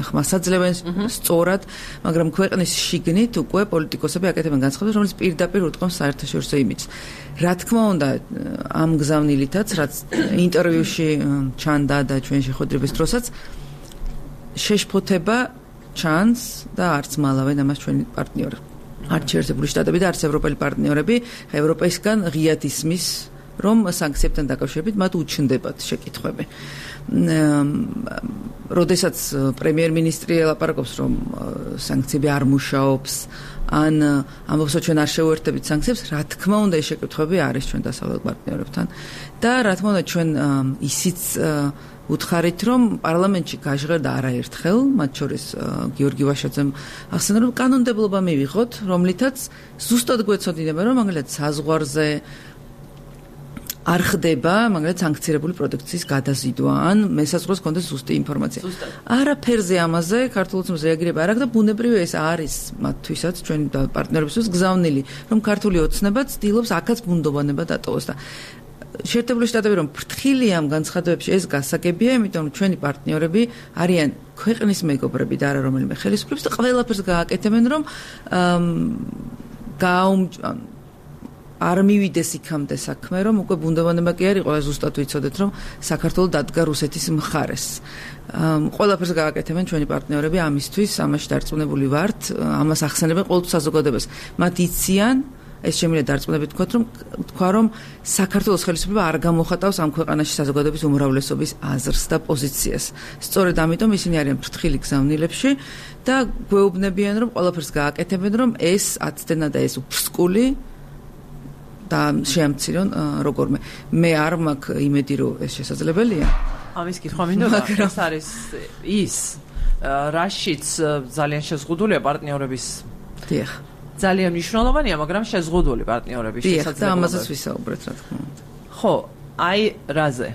S5: ხმასაძლევენ სწორად, მაგრამ ქვეყნის შიგნით უკვე პოლიტიკოსები აკეთებენ განცხადებებს, რომელიც პირდაპირ უტყობს საერთაშორისო იმიჯს. რა თქმა უნდა, ამ გზავნილითაც, რაც ინტერვიუში ჩანდა და ჩვენ შეხვედრების დროსაც შეშფოთება ჩანს და არც მალავენ ამას ჩვენი პარტნიორები. არც შეერთებული შტატები და არც ევროპელი პარტნიორები ევროპისგან ღიად ისმის რომ სანქციებთან დაკავშირებით მათ უჩნდებათ შეკითხვები. როდესაც პრემიერ-მინისტრი ელაპარაკობს, რომ სანქციები არ მუშაობს, ან ამბობს, რომ ჩვენ არ შევერთებით სანქციებს, რა თქმა უნდა, ეს შეკითხვები არის ჩვენ დასავლელ პარტნიორებთან და რა თქმა უნდა, ჩვენ ისიც უთხარით, რომ პარლამენტში გაჟღერდა არაერთხელ, მათ შორის გიორგი ვაშაძემ ახსენა, რომ კანონმდებლობა მივიღოთ, რომლითაც ზუსტად გვეცოდინება, რომ მაგალითად საზღვარზე არ ხდება, მაგალითად სანქცირებული პროდუქციის გადაზიდვა, ან მესაზღვროს კონდეს ზუსტი ინფორმაცია. არაფერზე ამაზე ქართულ ოცნებს რეაგირება არ აქვს და ბუნებრივია ეს არის მათთვისაც ჩვენი პარტნიორებისთვის გზავნილი, რომ ქართული ოცნება ცდილობს აქაც ბუნდოვანება დატოვოს და შეერთებული შტატები რომ ფრთხილია ამ განცხადებებში ეს გასაგებია, იმიტომ რომ ჩვენი პარტნიორები არიან ქვეყნის მეგობრები და არა რომელიმე ხელისუფლების და ყველაფერს გააკეთებენ, რომ არ მივიდეს იქამდე საქმე, რომ უკვე ბუნდოვანება კი არ იყო, ზუსტად ვიცოდეთ, რომ საქართველოს დადგა რუსეთის მხარეს. ყველაფერს გააკეთებენ ჩვენი პარტნიორები ამისთვის, ამაში დარწმუნებული ვართ, ამას ახსენებენ ყოველთვის საზოგადოებას. მათ იციან ეს შემიძლია დარწმუნებით თქვა, რომ საქართველოს ხელისუფლება არ გამოხატავს ამ ქვეყანაში საზოგადოების უმრავლესობის აზრს და პოზიციას. სწორედ ამიტომ ისინი არიან ფრთხილი გზავნილებში და გვეუბნებიან, რომ ყველაფერს გააკეთებენ, რომ ეს აცდენა და ეს უფსკული და შეამცირონ როგორმე. მე არ მაქვს იმედი, რომ ეს შესაძლებელია.
S1: ამის კითხვა მინდოდა, ეს არის ის რაშიც ძალიან შეზღუდულია პარტნიორების.
S5: დიახ.
S1: ძალიან მნიშვნელოვანია, მაგრამ შეზღუდული პარტნიორების შესაძლებლობა.
S5: და ამაზეც ვისაუბრეთ, რა თქმა უნდა.
S1: ხო, აი რაზე?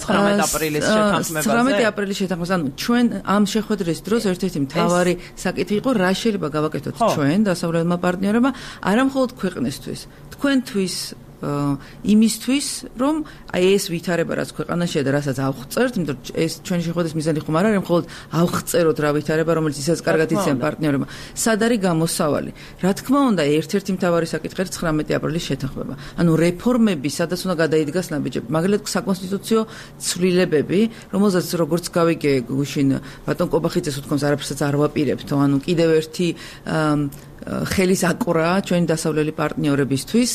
S1: 19 აპრილის შეთანხმებაზე.
S5: 19 აპრილის შეთანხმებას, ანუ ჩვენ ამ შეხვედრის დროს ერთ-ერთი მთავარი საკითხი იყო, რა შეიძლება გავაკეთოთ ჩვენ დასავლელმა პარტნიორებმა, არა მხოლოდ ქვეყნისთვის, თქვენთვის იმისთვის, რომ აი ეს ვითარება რაც ქვეყანაშია და რასაც ავღწერთ, იმიტომ რომ ეს ჩვენი შეხვედრის მიზანი ხომ არ არის მხოლოდ ავღწეროთ რა ვითარება, რომელიც ისაც კარგად იციან პარტნიორებმა. სად არის გამოსავალი? რა თქმა უნდა, ერთ-ერთი მთავარი საკითხი 19 აპრილის შეთანხმება. ანუ რეფორმები, სადაც უნდა გადაიდგას ნაბიჯები. მაგალითად, საკონსტიტუციო ცვლილებები, რომელზეც როგორც გავიგე გუშინ ბატონ კობახიძეს უთქვამს, არაფერსაც არ ვაპირებთო, ანუ კიდევ ერთი ხელის აკვრა ჩვენი დასავლელი პარტნიორებისთვის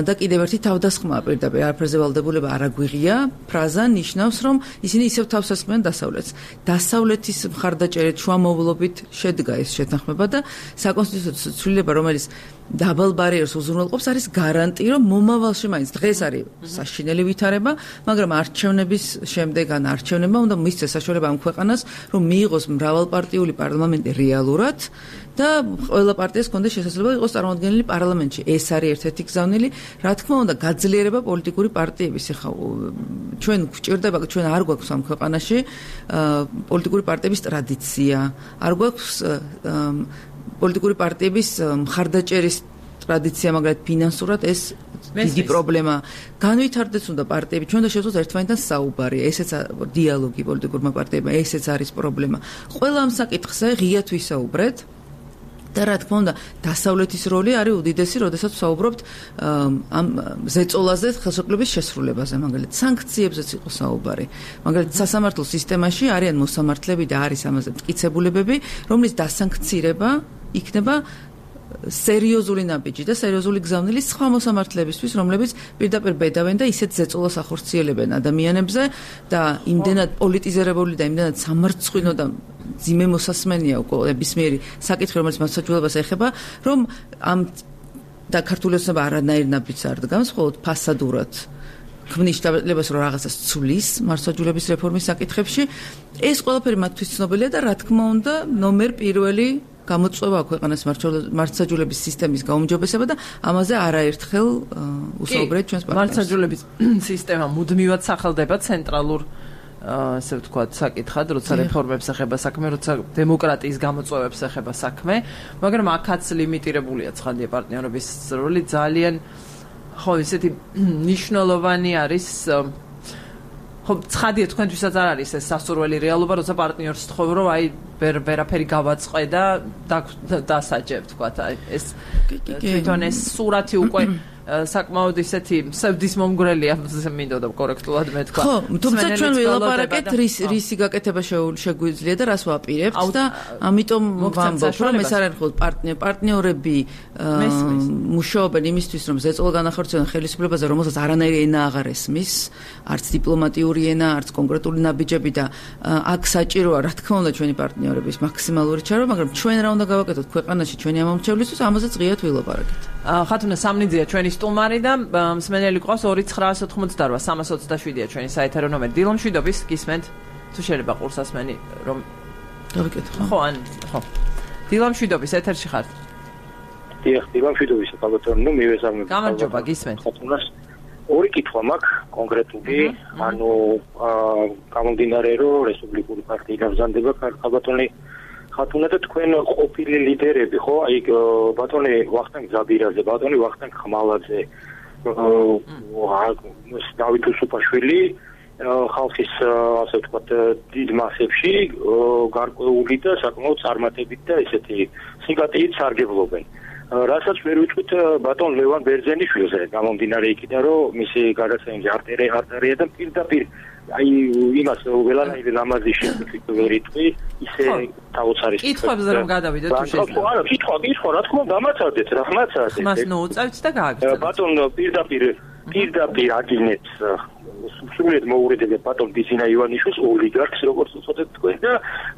S5: და კიდევ ერთი თავდასხმა პირდაპირ არაფერზე ვალდებულება არ აგვიღია ფრაზა ნიშნავს რომ ისინი ისევ თავს ასხმიან დასავლეთს. დასავლეთის მხარდაჭერით შუამავლობით შედგა ეს შეთანხმება და საკონსტიტუციო ცვლილება რომელიც დაბალ ბარიერს უზრუნველყოფს არის გარანტი რომ მომავალში მაინც დღეს არის საშინელი ვითარება, მაგრამ არჩევნების შემდეგ ან არჩევნებმა უნდა მისცეს საშუალება ამ ქვეყანას რომ მიიღოს მრავალპარტიული პარლამენტი რეალურად და ყველა პარტიას კონდეს შესაძლებლობა იყოს წარმოადგენელი პარლამენტში. ეს არის ერთ-ერთი გზავნილი. რა თქმა უნდა, გაძლიერება პოლიტიკური პარტიების. ეხლა ჩვენ გვჭირდება, ჩვენ არ გვაქვს ამ ქვეყანაში პოლიტიკური პარტიების ტრადიცია. არ გვაქვს პოლიტიკური პარტიების მხარდაჭერის ტრადიცია, მაგრამ ფინანსურად ეს დიდი პრობლემა. განვითარდეს უნდა პარტიები, ჩვენ და შევძლოთ ერთმანეთთან საუბარი, ესეც დიალოგი პოლიტიკურმა პარტიებმა, ესეც არის პრობლემა. ყველა ამ საკითხზე ღიად ვისაუბრეთ. და რა თქმა უნდა, დასავლეთის როლი არის უდიდესი, როდესაც ვსაუბრობთ ამ ზეწოლაზე, ხელშეკრულების შესრულებაზე, მაგალითად, სანქციებზეც იყო საუბარი. მაგალითად, სასამართლო სისტემაში არიან მოსამართლეები და არის ამაზე მტკიცებულებები, რომლის დასანქცირება იქნება სერიოზული ნაბიჯი და სერიოზული გზავნილი სხვა მოსამართლეებისთვის, რომლებიც პირდაპირ ბედავენ და ისეთ ზეწოლას ახორციელებენ ადამიანებზე და იმდენად პოლიტიზირებული და იმდენად სამარცხვინო და ძიმე მოსასმენია უკვე ნებისმიერი საკითხი, რომელიც მასაჯულებას ეხება, რომ ამ და ქართული ოცნება არანაირ ნაბიჯს არ დგამს, მხოლოდ ფასადურად ქმნის შეტაბილებას, რომ რაღაცას ცვლის მარცხაჯულების რეფორმის საკითხებში. ეს ყველაფერი მათთვის ცნობილია და რა თქმა უნდა, ნომერ პირველი გამოწვევა ქვეყანას მარცხაჯულების სისტემის გაუმჯობესება და ამაზე არაერთხელ უსაუბრეთ ჩვენს პარტნიორებს. მარცხაჯულების
S1: სისტემა მუდმივად სახელდება ცენტრალურ ასე ვთქვათ, საკითხად, როცა რეფორმებს ეხება საქმე, როცა დემოკრატიის გამოწვევებს ეხება საქმე, მაგრამ აქაც ლიმიტირებულია ცხადია პარტნიორების როლი ძალიან ხო ისეთი მნიშვნელოვანი არის ხო ცხადია თქვენთვისაც არ არის ეს სასურველი რეალობა, როცა პარტნიორს თხოვ რომ აი ვერაფერი გავაწყე და დასაჯებ, თქვათ, აი ეს თვითონ ეს სურათი უკვე საკმაოდ ისეთი სევდის მომგვრელია მინდოდა კორექტულად მეთქვა.
S5: ხო, თუმცა ჩვენ ვილაპარაკეთ რისი გაკეთება შეგვიძლია და რას ვაპირებთ და ამიტომ ვამბობ, რომ ეს არ არის მხოლოდ პარტნიორები მუშაობენ იმისთვის, რომ ზეწოლა განახორციელონ ხელისუფლებაზე, რომელსაც არანაირი ენა აღარ ესმის, არც დიპლომატიური ენა, არც კონკრეტული ნაბიჯები და აქ საჭიროა, რა თქმა უნდა, ჩვენი პარტნიორების მაქსიმალური ჩარევა, მაგრამ ჩვენ რა უნდა გავაკეთოთ ქვეყანაში ჩვენი ამომრჩევლისთვის, ამაზე ღიად ვილაპარაკეთ.
S1: ხათუნა სამნიძეა ჩვენი სტუმარი და მსმენელი ყავს 2988 327-ია ჩვენი საეთერო ნომერი. დილომშვიდობის გისმენთ თუ შეიძლება ყურსასმენი რომ
S5: დავიკითხო.
S1: ხო. დილომშვიდობის ეთერში ხართ.
S6: დიახ, დილომშვიდობის ბატონო, მივესალმებ.
S1: გამარჯობა, გისმენთ.
S6: ხათუნას ორი კითხვა მაქვს კონკრეტული, ანუ გამომდინარე რომ რესპუბლიკური პარტია გაგზავნება ბატონი ხათუნა და თქვენ ყოფილი ლიდერები, ხო? აი ბატონი ვახტანგ ზაბირაძე, ბატონი ვახტანგ ხმალაძე, დავით უსუფაშვილი ხალხის ასე ვთქვათ დიდ მასებში გარკვეული და საკმაოდ წარმატებით და ესეთი სიმპათიით სარგებლობენ. რასაც ვერ ვიტყვით ბატონ ლევან ბერძენიშვილზე, გამომდინარე იქიდან რომ მისი გადაცემი არტარია და პირდაპირ აი იმას ველანაირი ლამაზი შეგვიქვით ვერ იტყვი, ისე დაუცარის.
S1: კითხვებზე რომ გადავიდეთ თუ შეიძლება.
S6: არა, კითხვა, რა თქმა უნდა, დამაცადეთ.
S1: ხმას ნუუწევთ და გააგრძელებთ.
S6: ბატონ პირდაპირ აგინებს სულით მოურიდებს ბატონ ბიზინა ივანიშვილს ოლიგარქს როგორც უწოდეთ თქვენ და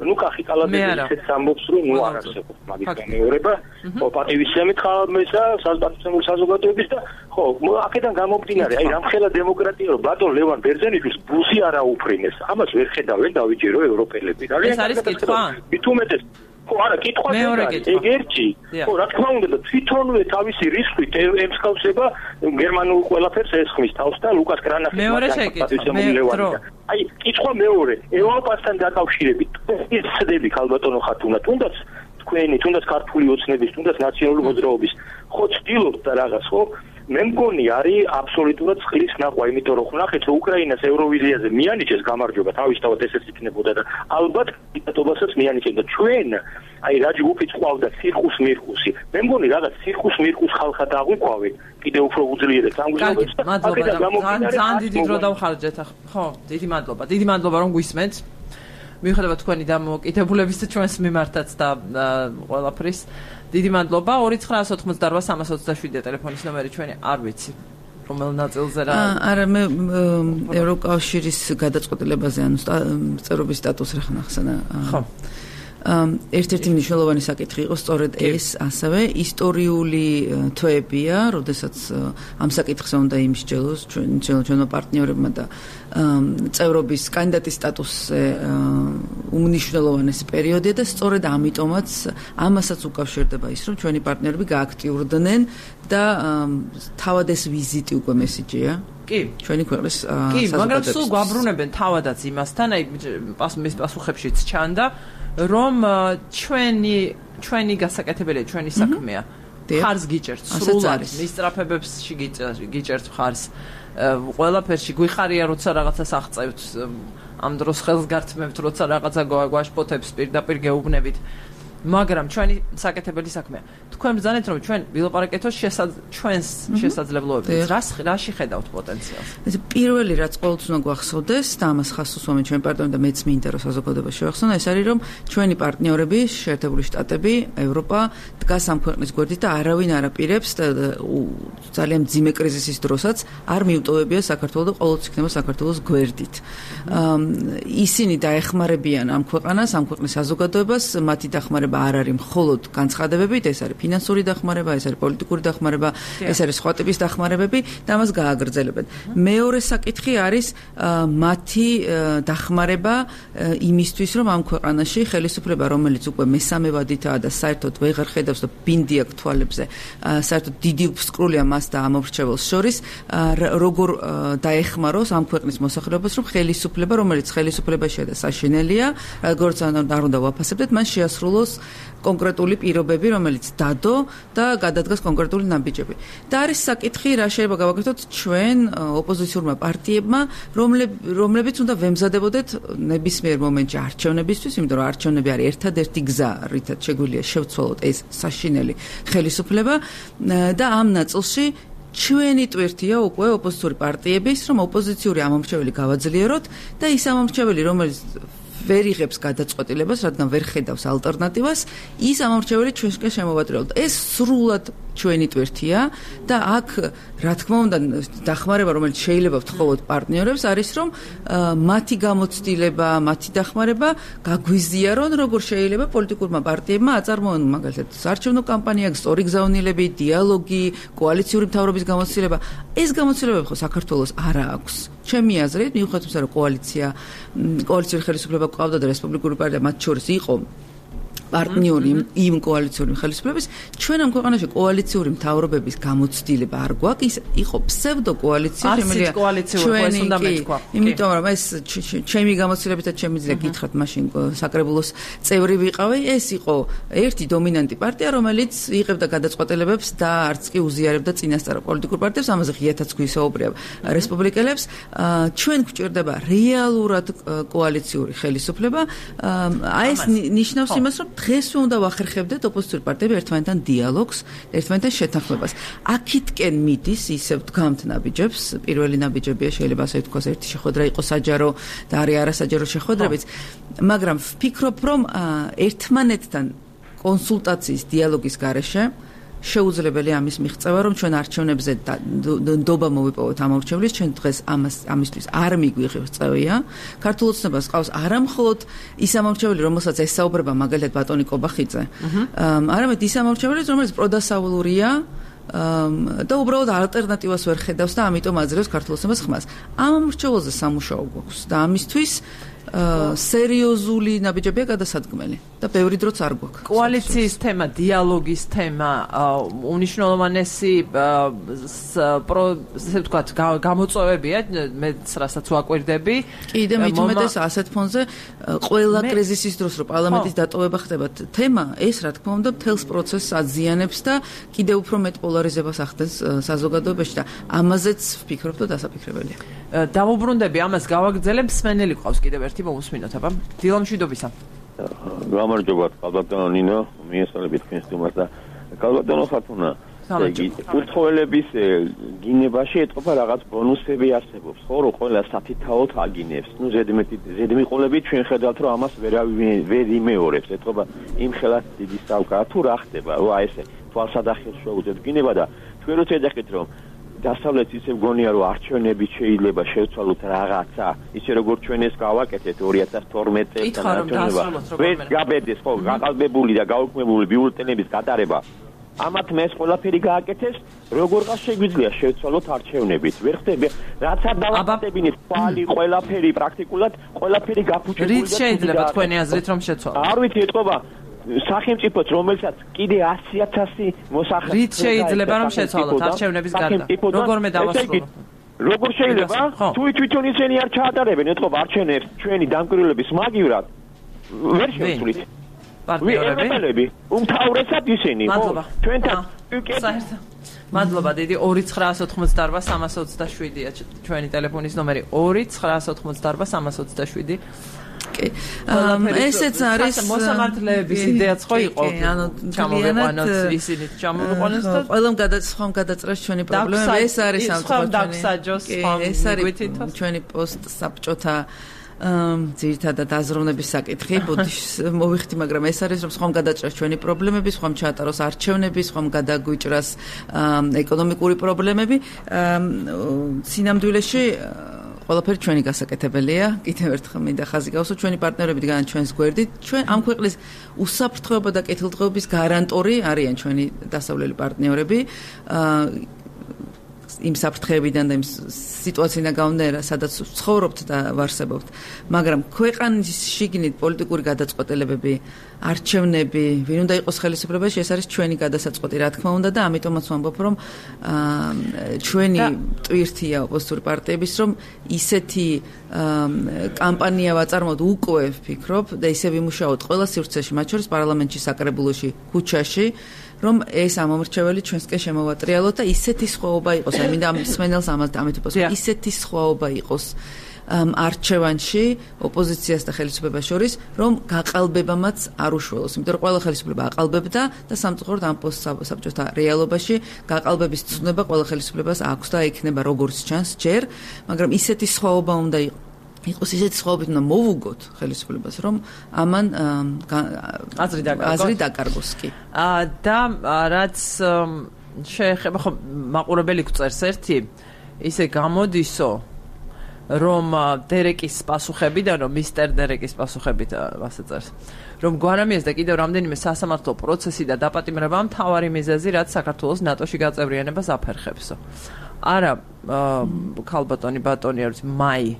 S6: ნუ კახი კალადები ისეთ ამბობს რომ ნუ არ არსებობს მაგის განმეორება ხო პატივისცემით ხალხისა საზოგადოების საზოგადოების და ხო აქედან გამომდინარე აი რამხელა დემოკრატია რომ ბატონ ლევან ბერძენიშვილს ბუზი არ აუფრინეს ამას ვერ ხედავენ დავიჯერო ევროპელები
S1: ეს არის კითხვა
S6: მithumetes ხო არა კითხვა ეგერჩი ხო რა თქმა უნდა და თვითონვე თავისი რისხვით ემსგავსება გერმანულ ყველაფერს ესხმის თავს და ლუკას კრანახის აი კითხვა მეორე ევროპასთან დაკავშირებით ის ცდები ქალბატონო ხათუნა თუნდაც თქვენი თუნდაც ქართული ოცნების თუნდაც ნაციონალური მოძრაობის ხო ცდილობთ და რაღაც ხო მე მგონი არის აბსოლუტურად წყლის ნახვა, იმიტომ რომ ვნახეთ უკრაინას ევროვიზიაზე მიანიჭეს გამარჯვება, თავისთავად ესეც იქნებოდა და ალბათ დიქტატობასაც მიანიჭებდა. ჩვენ აი რა ჯგუფიც ყავდა ცირკუს მირკუსი. მე მგონი რაღაც ცირკუს მირკუს ხალხად აღვიქვავენ, კიდევ უფრო უძლიერებს ამგვარებს.
S1: ძალიან დიდი დრო დავხარჯეთ. ხო, დიდი მადლობა რომ გვისმენთ. მიუხედავად თქვენი დამოუკიდებლობის და ჩვენს მიმართაც და ყველაფრის დიდი მადლობა 2988 327 ტელეფონის ნომერი ჩვენი არ ვიცი რომელ ნაწილზე რა
S5: არა მე ევროკავშირის გადაწყვეტილებაზე ანუ წევრობის სტატუსს რა ხახსენა ხო ერთ-ერთი მნიშვნელოვანი საკითხი იყო სწორედ ეს ასევე ისტორიული თვეებია როდესაც ამ საკითხზე უნდა იმსჯელოს ჩვენო პარტნიორებმა და წევრობის კანდიდატის სტატუსზე უმნიშვნელოვანესი პერიოდია და სწორედ ამიტომაც ამასაც უკავშირდება ის რომ ჩვენი პარტნიორები გააქტიურდნენ და თავად ეს ვიზიტი უკვე მესიჯია კი ჩვენი ქვეყნის
S1: კი მაგრამ სულ გვაბრუნებენ თავადაც იმასთან აი მის პასუხებშიც ჩანდა რომ ჩვენი გასაკეთებელი ჩვენი საქმეა ხარს გიჭერთ სრულად მისწრაფებებს გიჭერთ ხარს ყველაფერში გვიხარია როცა რაღაცას აღწევთ ამ დროს ხელს გართმევთ როცა რაღაცა გვაშფოთებს პირდაპირ გეუბნებით მაგრამ ჩვენი საკეთებელი საქმეა თქვენ ბრძანეთ რომ ჩვენ ვილაპარაკეთოთ ჩვენს შესაძლებლობებს რაში ხედავთ პოტენციალს
S5: ეს პირველი რაც ყოველთვის უნდა გვახსოვდეს და ამას ხას უსვამენ ჩვენი პარტნიორები და მეც მინდა რომ საზოგადოება შევახსოვნა ეს არის რომ ჩვენი პარტნიორები შეერთებული შტატები ევროპა დგას ამ ქვეყნის გვერდით და არავინ არ აპირებს ძალიან მძიმე კრიზისის დროსაც არ მიუტოვებია საქართველოს და ყოველთვის იქნება საქართველოს გვერდით ისინი დაეხმარებიან ამ ქვეყანას ამ ქვეყნის საზოგადოებას მათი დახმარება არ არის მხოლოდ განცხადებებით, ეს არის ფინანსური დახმარება, ეს არის პოლიტიკური დახმარება, ეს არის სხვა ტიპის დახმარებები და ამას გააგრძელებენ. მეორე საკითხი არის მათი დახმარება იმისთვის, რომ ამ ქვეყანაში ხელისუფლება, რომელიც უკვე მესამე ვადითაა და საერთოდ ვეღარ ხედავს და ბინდი აქვს თვალებზე, საერთოდ დიდი ფსკრულია მას და ამორჩეველს შორის, როგორ დაეხმაროს ამ ქვეყნის მოსახლეობას, რომ ხელისუფლება, რომელიც ხელისუფლებაშია და საშინელია, როგორც არ უნდა ვაფასებდეთ, მან შეასრულოს კონკრეტული პირობები, რომელიც დადო და გადადგას კონკრეტული ნაბიჯები. და არის საკითხი, რა შეიძლება გავაკეთოთ ჩვენ ოპოზიციურმა პარტიებმა, რომლებიც უნდა ვემზადებოდეთ ნებისმიერ მომენტში არჩევნებისთვის, იმიტომ რომ არჩევნები არის ერთადერთი გზა, რითაც შეგვიძლია შევცვალოთ ეს საშინელი ხელისუფლება და ამ ნაწილში ჩვენი ტვირთია უკვე ოპოზიციური პარტიების, რომ ოპოზიციური ამომრჩეველი გავაძლიეროთ და ის ამომრჩეველი, რომელიც ვერ იღებს გადაწყვეტილებას, რადგან ვერ ხედავს ალტერნატივას, ის ამომრჩეველი ჩვენსკენ შემოვატრიალოთ. ეს სრულად ჩვენი ტვირთია და აქ, რა თქმა უნდა, დახმარება, რომელიც შეიძლება ვთხოვოთ პარტნიორებს, არის რომ მათი გამოცდილება, მათი დახმარება გაგვიზიარონ, როგორ შეიძლება პოლიტიკურმა პარტიებმა აწარმოონ მაგალითად საარჩევნო კამპანია, სწორი გზავნილები, დიალოგი, კოალიციური მთავრობის გამოცდილება. ეს გამოცდილებები ხო საქართველოს არა აქვს. ჩემი აზრით, მიუხედავად იმისა, რომ კოალიციური ხელისუფლება ყავდა და რესპუბლიკური პარტია მათ შორის იყო პარტნიორი იმ კოალიციური ხელისუფლების, ჩვენ ამ ქვეყანაში კოალიციური მთავრობების გამოცდილება არ გვაქვს, იყო ფსევდო კოალიცია,
S1: შემიძლია ჩვენი უნდა მეთქვა.
S5: იმიტომ რომ ეს ჩემი გამოცდილებითაც შემიძლია გითხრათ, მაშინ საკრებულოს წევრი ვიყავი, ეს იყო ერთი დომინანტი პარტია, რომელიც იღებდა გადაწყვეტილებებს და არც კი უზიარებდა წინასწარ პოლიტიკურ პარტიებს, ამაზე ღიათაც გვისაუბრია რესპუბლიკელებს. ჩვენ გვჭირდება რეალურად კოალიციური ხელისუფლება. აი ეს ნიშნავს იმას, რომ დღეს უნდა ვახერხებდეთ ოპოზიციური პარტიები ერთმანეთთან დიალოგს, ერთმანეთთან შეთანხმებას. აქეთკენ მიდის ისევ დგამთ ნაბიჯებს, პირველი ნაბიჯებია შეიძლება ასე ვთქვას, ერთი შეხვედრა იყო საჯარო და არის არასაჯარო შეხვედრებიც, მაგრამ ვფიქრობ, რომ ერთმანეთთან კონსულტაციის დიალოგის გარეშე შეუძლებელია ამის მიღწევა, რომ ჩვენ არჩევნებზე ნდობა მოვიპოვოთ ამორჩევლის, ჩვენ დღეს ამისთვის არ მიგვიღებს წევია. ქართულ ოცნებას ყავს არამხოლოდ ის ამორჩეველი, რომელსაც ესაუბრება მაგალითად ბატონი კობახიძე, არამედ ის ამორჩეველი, რომელიც პროდასავლურია და უბრალოდ ალტერნატივას ვერ ხედავს და ამიტომ აძლევს ქართულ ოცნებას ხმას. ამ ამორჩეველზე სამუშაო გვაქვს და ამისთვის სერიოზული ნაბიჯებია გადასადგმელი და ბევრი დროც არ გვაქვს.
S1: კოალიციის თემა, დიალოგის თემა, უნიშნულოვანესი ესე ვთქვათ, გამოწვევებია, მეც რასაც ვაკვირდები.
S5: კიდე მით უმეტეს ასეთ ფონზე ყველა კრიზისის დროს, რომ პარლამენტის დატოვება ხდება თემა, ეს რა თქმა უნდა მთელს პროცესს აზიანებს და კიდევ უფრო მეტ პოლარიზებას ახდენს საზოგადოებაში და ამაზეც ვფიქრობ და დასაფიქრებელია.
S1: დავუბრუნდები ამას გავაგრძელებ, მსმენელი ყავს კიდევ ერთი მომუსმინოთ, აბა. დილამშვიდობისა.
S6: გამარჯობა, კალბატონო ნინო, მიესალმებით თქვენს თემას და კალბატონო ხათუნა. უთხოველების გინებაში ეთყობა რაღაც ბონუსები არსებობს, ხო, რომ ყველა საფითაოდ აგინებს. ნუ ზედმიყოლებით ჩვენ ხედავთ, რომ ამას ვერ იმეორებს. ეთყობა იმ ხელას დიდი საუკა თუ რა ხდება, აი ესე თვალსადახელს შეუძლებთ გინება და თქვენ როცა ეძახით, რომ დასავლეთ ისე გონია რომ არჩევნები შეიძლება შევცვალოთ რაღაცა ისე როგორც ჩვენ ეს გავაკეთეთ 2012 წელს ვერ გაბედეს ხო გაყალბებული და გაუქმებული ბიულეტენების გატარება ამათ მეს ყველაფერი გააკეთეს როგორღა შეგვიძლია შევცვალოთ არჩევნებით ვერ ხდება რაც არ დავაკეთებინეთ თვალი ყველაფერი პრაქტიკულად ყველაფერი გაფუჭებული
S1: რით შეიძლება თქვენი აზრით რომ შეცვალოთ
S6: არ ვიცი ეთყობა სახელმწიფოც რომელსაც კიდე 100,000 მოსახლე
S1: რით შეიძლება რომ შეცვალოთ არჩევნების გარდა როგორმე დავასრულოთ
S6: როგორ შეიძლება თუ თვითონ ისინი არ ჩაატარებენ ეთყობა არჩევნებს ჩვენი დამკვირვებლების მაგივრად ვერ შევცვლით პარტნიორები უმთავრესად ისინი ხო ჩვენთან
S1: მადლობა დიდი 2988327-ია ჩვენი ტელეფონის ნომერი 2988327
S5: ესეც არის
S1: მოსამართლეების იდეაც ხო იყო გამოვიყვანოთ ისინი ჩამოვიყვანოს და
S5: ყველამ სხვამ გადაწრეს ჩვენი პრობლემა ეს არის
S1: ეს არის
S5: ჩვენი პოსტ საბჭოთა ძირითადად აზროვნების საკითხი ბოდიშს მოვიხდი მაგრამ ეს არის რომ სხვამ გადაჭრას ჩვენი პრობლემები სხვამ ჩაატაროს არჩევნები სხვამ გადაგვიჭრას ეკონომიკური პრობლემები სინამდვილეში ყველაფერი ჩვენი გასაკეთებელია. კიდევ ერთხელ მინდა ხაზი გავუსვა ჩვენი პარტნიორები დგანან ჩვენს გვერდით. ჩვენ ამ ქვეყნის უსაფრთხოება და კეთილდღეობის გარანტორი არიან ჩვენი დასავლელი პარტნიორები. იმ საფრთხეებიდან და იმ სიტუაციიდან გამომდინარე, სადაც ცხოვრობთ და ვარსებობთ. მაგრამ ქვეყნის შიგნით პოლიტიკური გადაწყვეტილებები, არჩევნები, ვინ უნდა იყოს ხელისუფლებაში, ეს არის ჩვენი გადასაწყვეტი, რა თქმა უნდა და ამიტომაც ვამბობ, რომ ჩვენი ტვირთია ოპოზიციური პარტიების, რომ ისეთი კამპანია ვაწარმოოთ უკვე ვფიქრობ და ისე ვიმუშაოთ ყველა სივრცეში, მათ შორის პარლამენტში, საკრებულოში, ქუჩაში რომ ეს ამომრჩეველი ჩვენსკენ შემოვატრიალოთ და ისეთი სხვაობა იყოს, აი მინდა მსმენელს ამით ვუპასუხო, ისეთი სხვაობა იყოს არჩევანში ოპოზიციას და ხელისუფლებას შორის, რომ გაყალბებამაც არ უშველოს. იმიტომ რომ ყველა ხელისუფლება აყალბებდა და სამწუხაროდ ამ პოსტსაბჭოთა რეალობაში გაყალბების ცნობა ყველა ხელისუფლებას აქვს და იქნება როგორც ჩანს ჯერ, მაგრამ ისეთი სხვაობა უნდა იყოს ისეთი სხვაობით უნდა მოვუგოთ ხელისუფლებას, რომ ამან აზრი დაკარგოს კი.
S1: და რაც შეეხება ხო მაყურებელი გვწერს ერთი ისე გამოდისო რომ დერეკის პასუხებიდან რომ მისტერ დერეკის პასუხებით ასე წერს რომ გვარამიეს და კიდევ რამდენიმე სასამართლო პროცესი და დაპატიმრება მთავარი მიზეზი რაც საქართველოს ნატოში გაწევრიანებას აფერხებსო. არა ქალბატონი ბატონი არის მაი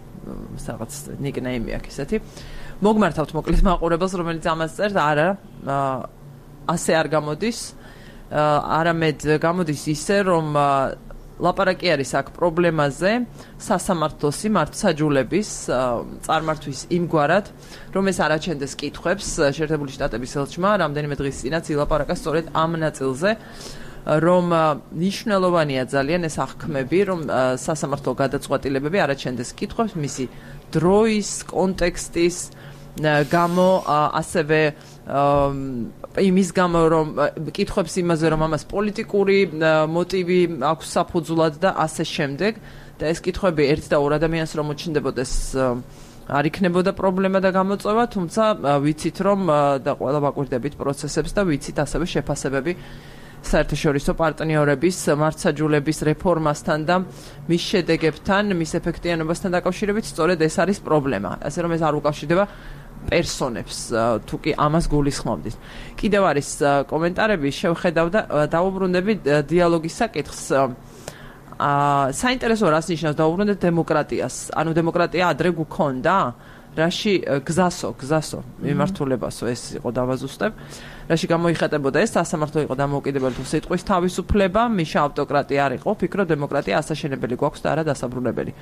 S1: რაღაც ნიკნეიმი აქვს ესეთი. მოგმართავთ მოკლედ მაყურებელს რომელიც ამას წერს არა ასე არ გამოდის არამედ გამოდის ისე რომ ლაპარაკი არის აქ პრობლემაზე სასამართლოს მართლმსაჯულების წარმართვის იმგვარად რომ ეს არაჩენდეს კითხვებს შეერთებული შტატების ელჩმა რამდენიმე დღის წინაც ილაპარაკა სწორედ ამ ნაწილზე რომ ნიშნულოვანია ძალიან ეს აღქმები რომ სასამართლო გადაწყვეტილებები არაჩენდეს კითხვებს მისი დროის კონტექსტის გამო ასევე იმის გამო რომ კითხვებს იმაზე რომ ამას პოლიტიკური მოტივი აქვს საფუძვლად და ასე შემდეგ და ეს კითხვები ერთ და ორ ადამიანს რომ მოჩნდებოდეს არ იქნებოდა პრობლემა და გამოწვევა თუმცა ვიცით რომ და ყველა ვაკვირდებით პროცესებს და ვიცით ასევე შეფასებები საერთაშორისო პარტნიორების მართლმსაჯულების რეფორმასთან და მის შედეგებთან მის ეფექტიანობასთან დაკავშირებით სწორედ ეს არის პრობლემა ასე რომ ეს არ უკავშირდება პერსონებს თუ კი ამას გულისხმობდით. კიდევ არის კომენტარები შევხედავ და დაუბრუნდები დიალოგის საკითხს. საინტერესო რას ნიშნავს დაუბრუნდეთ დემოკრატიას. ანუ დემოკრატია ადრე გქონდა? რაში გზასო მიმართულებასო ეს იყო დავაზუსტებ. რაში გამოიხატებოდა ეს სასამართლო იყო დამოუკიდებელი თუ სიტყვის თავისუფლება, მიშა ავტოკრატია არ იყო, ფიქრო დემოკრატია ასაშენებელი გვაქვს და არა დასაბრუნებელი.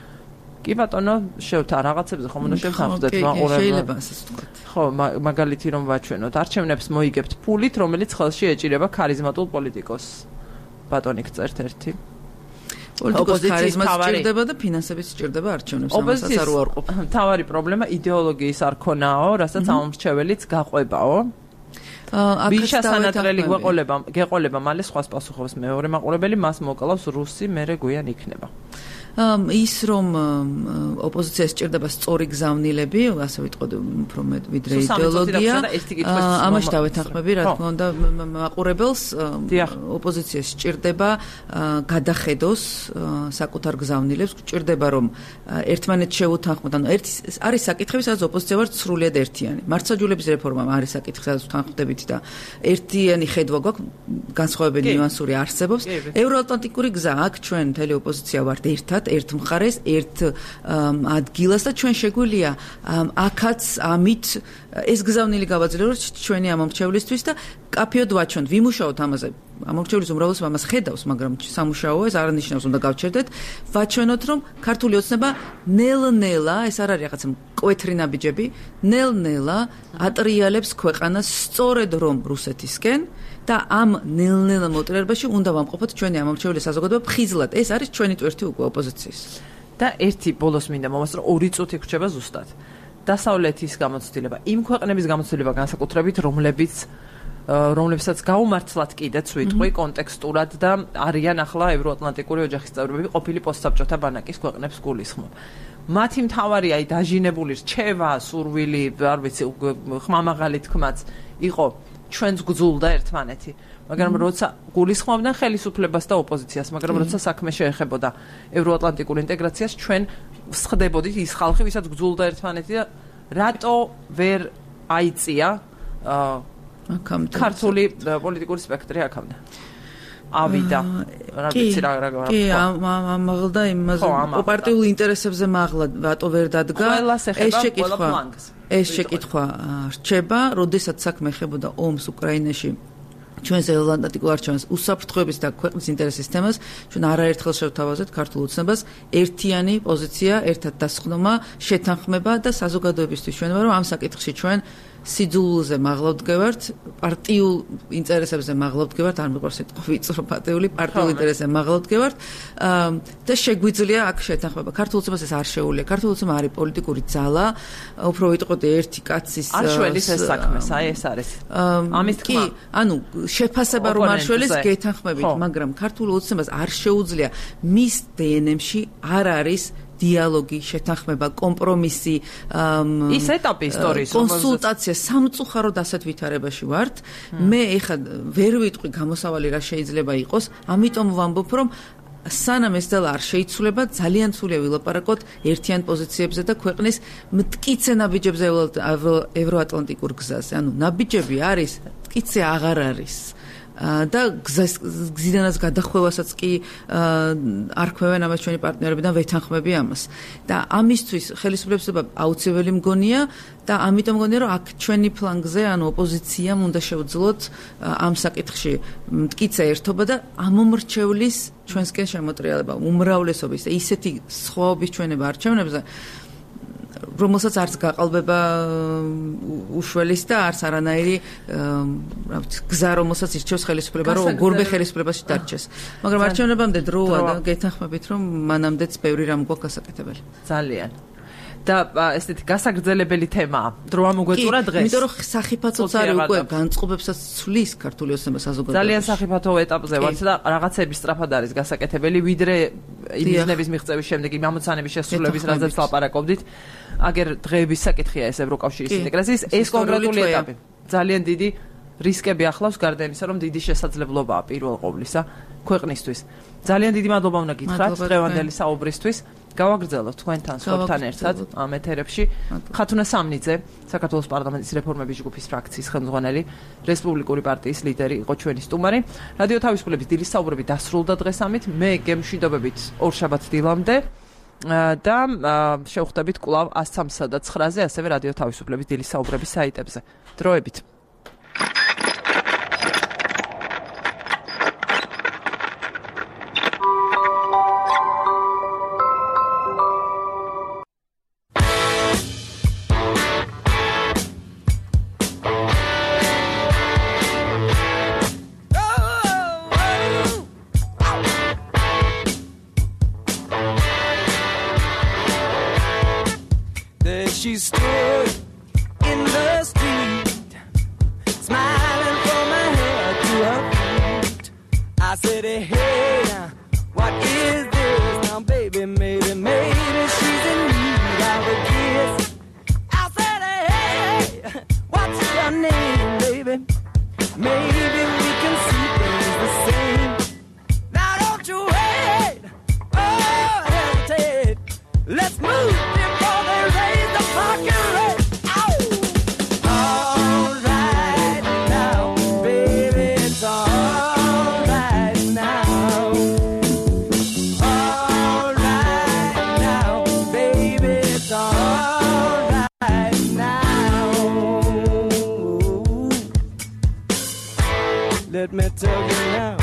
S1: კი ბატონო, შევთა რაღაცებზე ხომ უნდა შევთანხმდეთ მაყურებელს.
S5: შეიძლება ასეც ვთქვათ.
S1: ხო, მაგალითი რომ ვაჩვენოთ, არჩევნებს მოიგებთ ფულით, რომელიც ხელში ეჭირება ქარიზმატულ პოლიტიკოსს. ბატონი გწერთ ერთი.
S5: პოლიტიკოსის ქარიზმა სჭირდება და ფინანსებიც სჭირდება არჩევნებს, ამასაც არ უარყოფ.
S1: თავარი პრობლემა იდეოლოგიის არქონაო, რასაც ამომრჩეველიც გაყვებაო. ვიშა სანატრელი გეყოლება მალე სხვას პასუხობს მეორე მაყურებელი მას მოკლავს რუსი მერე გვიან იქნება.
S5: ის რომ ოპოზიციას სჭირდება სწორი გზავნილები, ასე ვიტყოდი, უფრო მეტ ვიდრე იდეოლოგია. ამაში დავეთანხმები, რა თქმა უნდა, მაყურებელს ოპოზიციას სჭირდება გადახედოს საკუთარ გზავნილებს, სჭირდება რომ ერთმანეთს შეუთანხმოთ. ანუ არის საკითხები, სადაც ოპოზიცია ვარ სრულიად ერთიანი. მართლმსაჯულების რეფორმა არის საკითხი, სადაც ვთანხმდებით და ერთიანი ხედვა გვაქვს, განსხვავებული ნიუანსური არსებობს. ევროატლანტიკური გზა აქ ჩვენ მთელი ოპოზიცია ვართ ერთად ერთ მხარეს, ერთ ადგილას და ჩვენ შეგვიძლია აქაც ამით ეს გზავნილი გავაძლიეროთ ჩვენი ამომრჩევლისთვის და კაფეოდ ვაჩვენთ, ვიმუშაოთ ამაზე. ამომრჩევლის უმრავლესობა ამას ხედავს, მაგრამ სამუშაოა, ეს არ ნიშნავს უნდა გავჩერდეთ. ვაჩვენოთ, რომ ქართული ოცნება ნელ-ნელა, ეს არ არის რაღაცა მკვეთრი ნაბიჯები, ნელ-ნელა ატრიალებს ქვეყანას სწორედ რომ რუსეთისკენ და ამ ნელ-ნელა მოტრიალებაში უნდა ვამყოფოთ ჩვენი ამომრჩევლის საზოგადოება ფხიზლად. ეს არის ჩვენი ტვერთი უკვე ოპოზიციის.
S1: და ერთი ბოლოს მინდა მომასწრო 2 წუთი გრჩება ზუსტად. დასავლეთის გამოცდილება, იმ ქვეყნების გამოცდილება განსაკუთრებით, რომლებსაც გაუმართლად კიდეც ვიტყვი კონტექსტურად და არიან ახლა ევროატლანტიკური ოჯახის წევრები, ყოფილი პოსტსაბჭოთა ბანაკის ქვეყნებს გულისხმობ. მათი მთავარი აი დაჟინებული რჩევა, სურვილი, არ ვიცი, ხმამაღალი თქმაც იყო ჩვენს გძულდა ერთმანეთი. მაგრამ როცა გულისხმობდნენ ხელისუფლებას და ოპოზიციას, მაგრამ როცა საქმე შეეხებოდა ევროატლანტიკურ ინტეგრაციას, ჩვენ ვსხდებოდით ის ხალხი, ვისაც გძულდა ერთმანეთი და რატო ვერ აიწია ქართული პოლიტიკური სპექტრი აქამდე. ავიდა. რა ვიცი რა.
S5: კი, ამაღლდა იმაზე პარტიულ ინტერესებზე მაღლა რატო ვერ დადგა? ეს შეკითხვა რჩება, როდესაც საქმე ეხებოდა ომს უკრაინაში. ჩვენს ევროატლანტიკურ არჩევანს უსაფრთხოების და ქვეყნის ინტერესის თემას ჩვენ არაერთხელ შევთავაზეთ ქართულ ოცნებას ერთიანი პოზიცია, ერთად დასხდომა, შეთანხმება და საზოგადოებისთვის ჩვენ ვარო ამ საკითხში ჩვენ სიძულულზე მაღლავდგევართ, პარტიულ ინტერესებზე მაღლავდგევართ, არ მიყვარს სიტყვა ვიწრო პატეული, პარტიულ ინტერესებზე მაღლავდგევართ და შეგვიძლია აქ შეთანხმება. ქართულ ოცნებას ეს არ შეუძლია. ქართულ ოცნება არის პოლიტიკური ძალა, უფრო ვიტყოდი ერთი კაცის
S1: არ შველის ეს საქმე, ეს არის. ამის თქმა.
S5: კი, ანუ შეფასება რომ არ შველის გეთანხმებით, მაგრამ ქართულ ოცნებას არ შეუძლია მის დნმ-ში არ არის დიალოგი, შეთანხმება, კომპრომისი,
S1: ის ეტაპი ისტორიის,
S5: კონსულტაცია, სამწუხაროდ ასეთ ვითარებაში ვართ. მე ეხლა ვერ ვიტყვი გამოსავალი რა შეიძლება იყოს, ამიტომ ვამბობ, რომ სანამ ეს ძალა არ შეიცვლება, ძალიან სულია ვილაპარაკოთ ერთიან პოზიციებზე და ქვეყნის მტკიცე ნაბიჯებზე ევროატლანტიკურ გზაზე. ანუ ნაბიჯები არის, მტკიცე აღარ არის. და გზიდანაც გადახვევასაც კი არ ხვევენ ამას ჩვენი პარტნიორები და ვეთანხმები ამას. და ამისთვის ხელისუფლებასობა აუცილებელი მგონია და ამიტომ მგონია რომ აქ ჩვენი ფლანგზე, ანუ ოპოზიციამ უნდა შევძლოთ ამ საკითხში მტკიცე ერთობა და ამომრჩევლის ჩვენსკენ შემოტრიალება, უმრავლესობის და ისეთი სხვაობის ჩვენება არჩევნებზე რომელსაც არც გაყალბება უშველის და არც არანაირი გზა რომელსაც ირჩევს ხელისუფლება რომ გურბე ხელისუფლებაში დარჩეს. მაგრამ არჩევნებამდე დროა და გეთანხმებით რომ მანამდეც ბევრი რამ გვაქვს გასაკეთებელი.
S1: ძალიან. და ესეთი გასაგრძელებელი თემაა. დროა მოგვეწურა დღეს.
S5: იმიტომ რომ სახიფათოც არის უკვე განწყობებსაც ცვლის ქართული ოცნება საზოგადოებაში.
S1: ძალიან სახიფათო ეტაპზე ვართ და რაღაცები სწრაფად არის გასაკეთებელი, ვიდრე იმიზნების მიღწევის შემდეგ იმ ამოცანების შესრულების რაზეც ლაპარაკობდით. აგერ დღეების საკითხია ეს ევროკავშირის ინტეგრაციის, ეს კონკრეტული ეტაპი. ძალიან დიდი რისკები ახლავს გარდა იმისა, რომ დიდი შესაძლებლობაა პირველ ყოვლისა ქვეყნისთვის. ძალიან დიდი მადლობა უნდა გითხრათ დღევანდელი საუბრისთვის. გავაგრძელოთ თქვენთან სხვებთან ერთად ამ ეთერებში. ხათუნა სამნიძე, საქართველოს პარლამენტის რეფორმების ჯგუფის ფრაქციის ხელმძღვანელი, რესპუბლიკური პარტიის ლიდერი იყო ჩვენი სტუმარი. რადიო თავისუფლების დილის საუბრები დასრულდა დღეს ამით. მე გემშვიდობებით ორშაბათ დილამდე და შევხვდებით კვლავ 103-სა და 9-ზე, ასევე რადიო თავისუფლების დილის საუბრების საიტებზე. დროებით.
S7: She stood in the street, smiling from her head to her feet. I said, hey, what is this? Now, baby, maybe she's in need of a kiss. I said, hey, what's your name, baby? Maybe we can see things the same. Now, don't you wait, hesitate. Let's move before they raise the parking rate. All right now, baby, it's all right now. All right now, baby, it's all right now. Let me tell you now.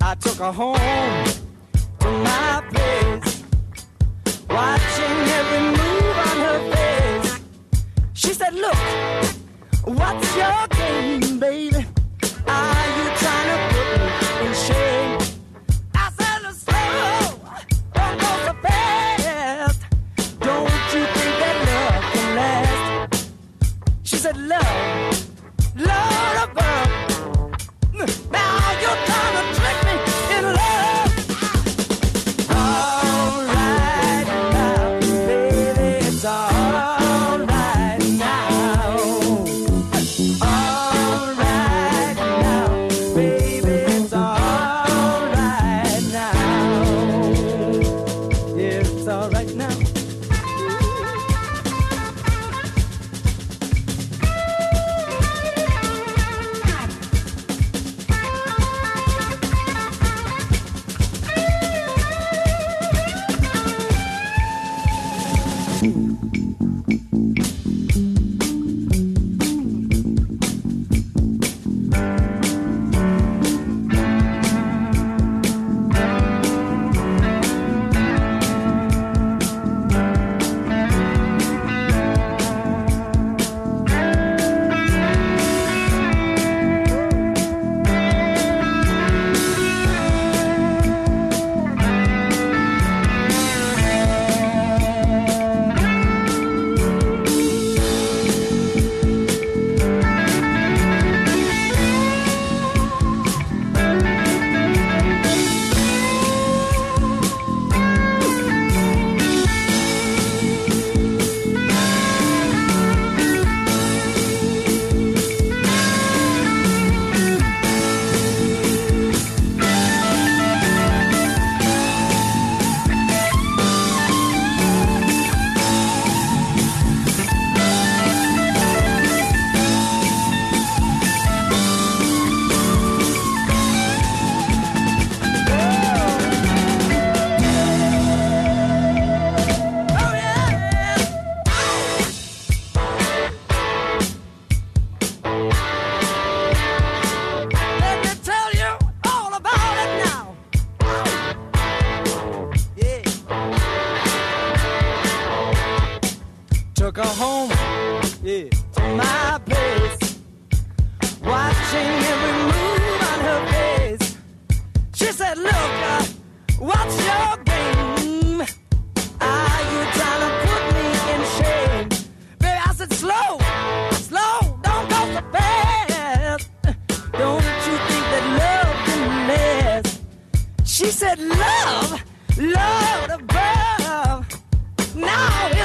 S7: I took her home to my place, watching every move on her face. She said, look, what's your game, baby? Are you trying to put me in shame? I said, slow, don't go so fast. Don't you think that love can last? She said, love, Lord above. Now you're trying to trick me in love. watching every move on her face. She said, look, what's your game? Are you trying to put me in shame? Baby, I said, slow, don't go so fast. Don't you think that love can last? She said, love above. Now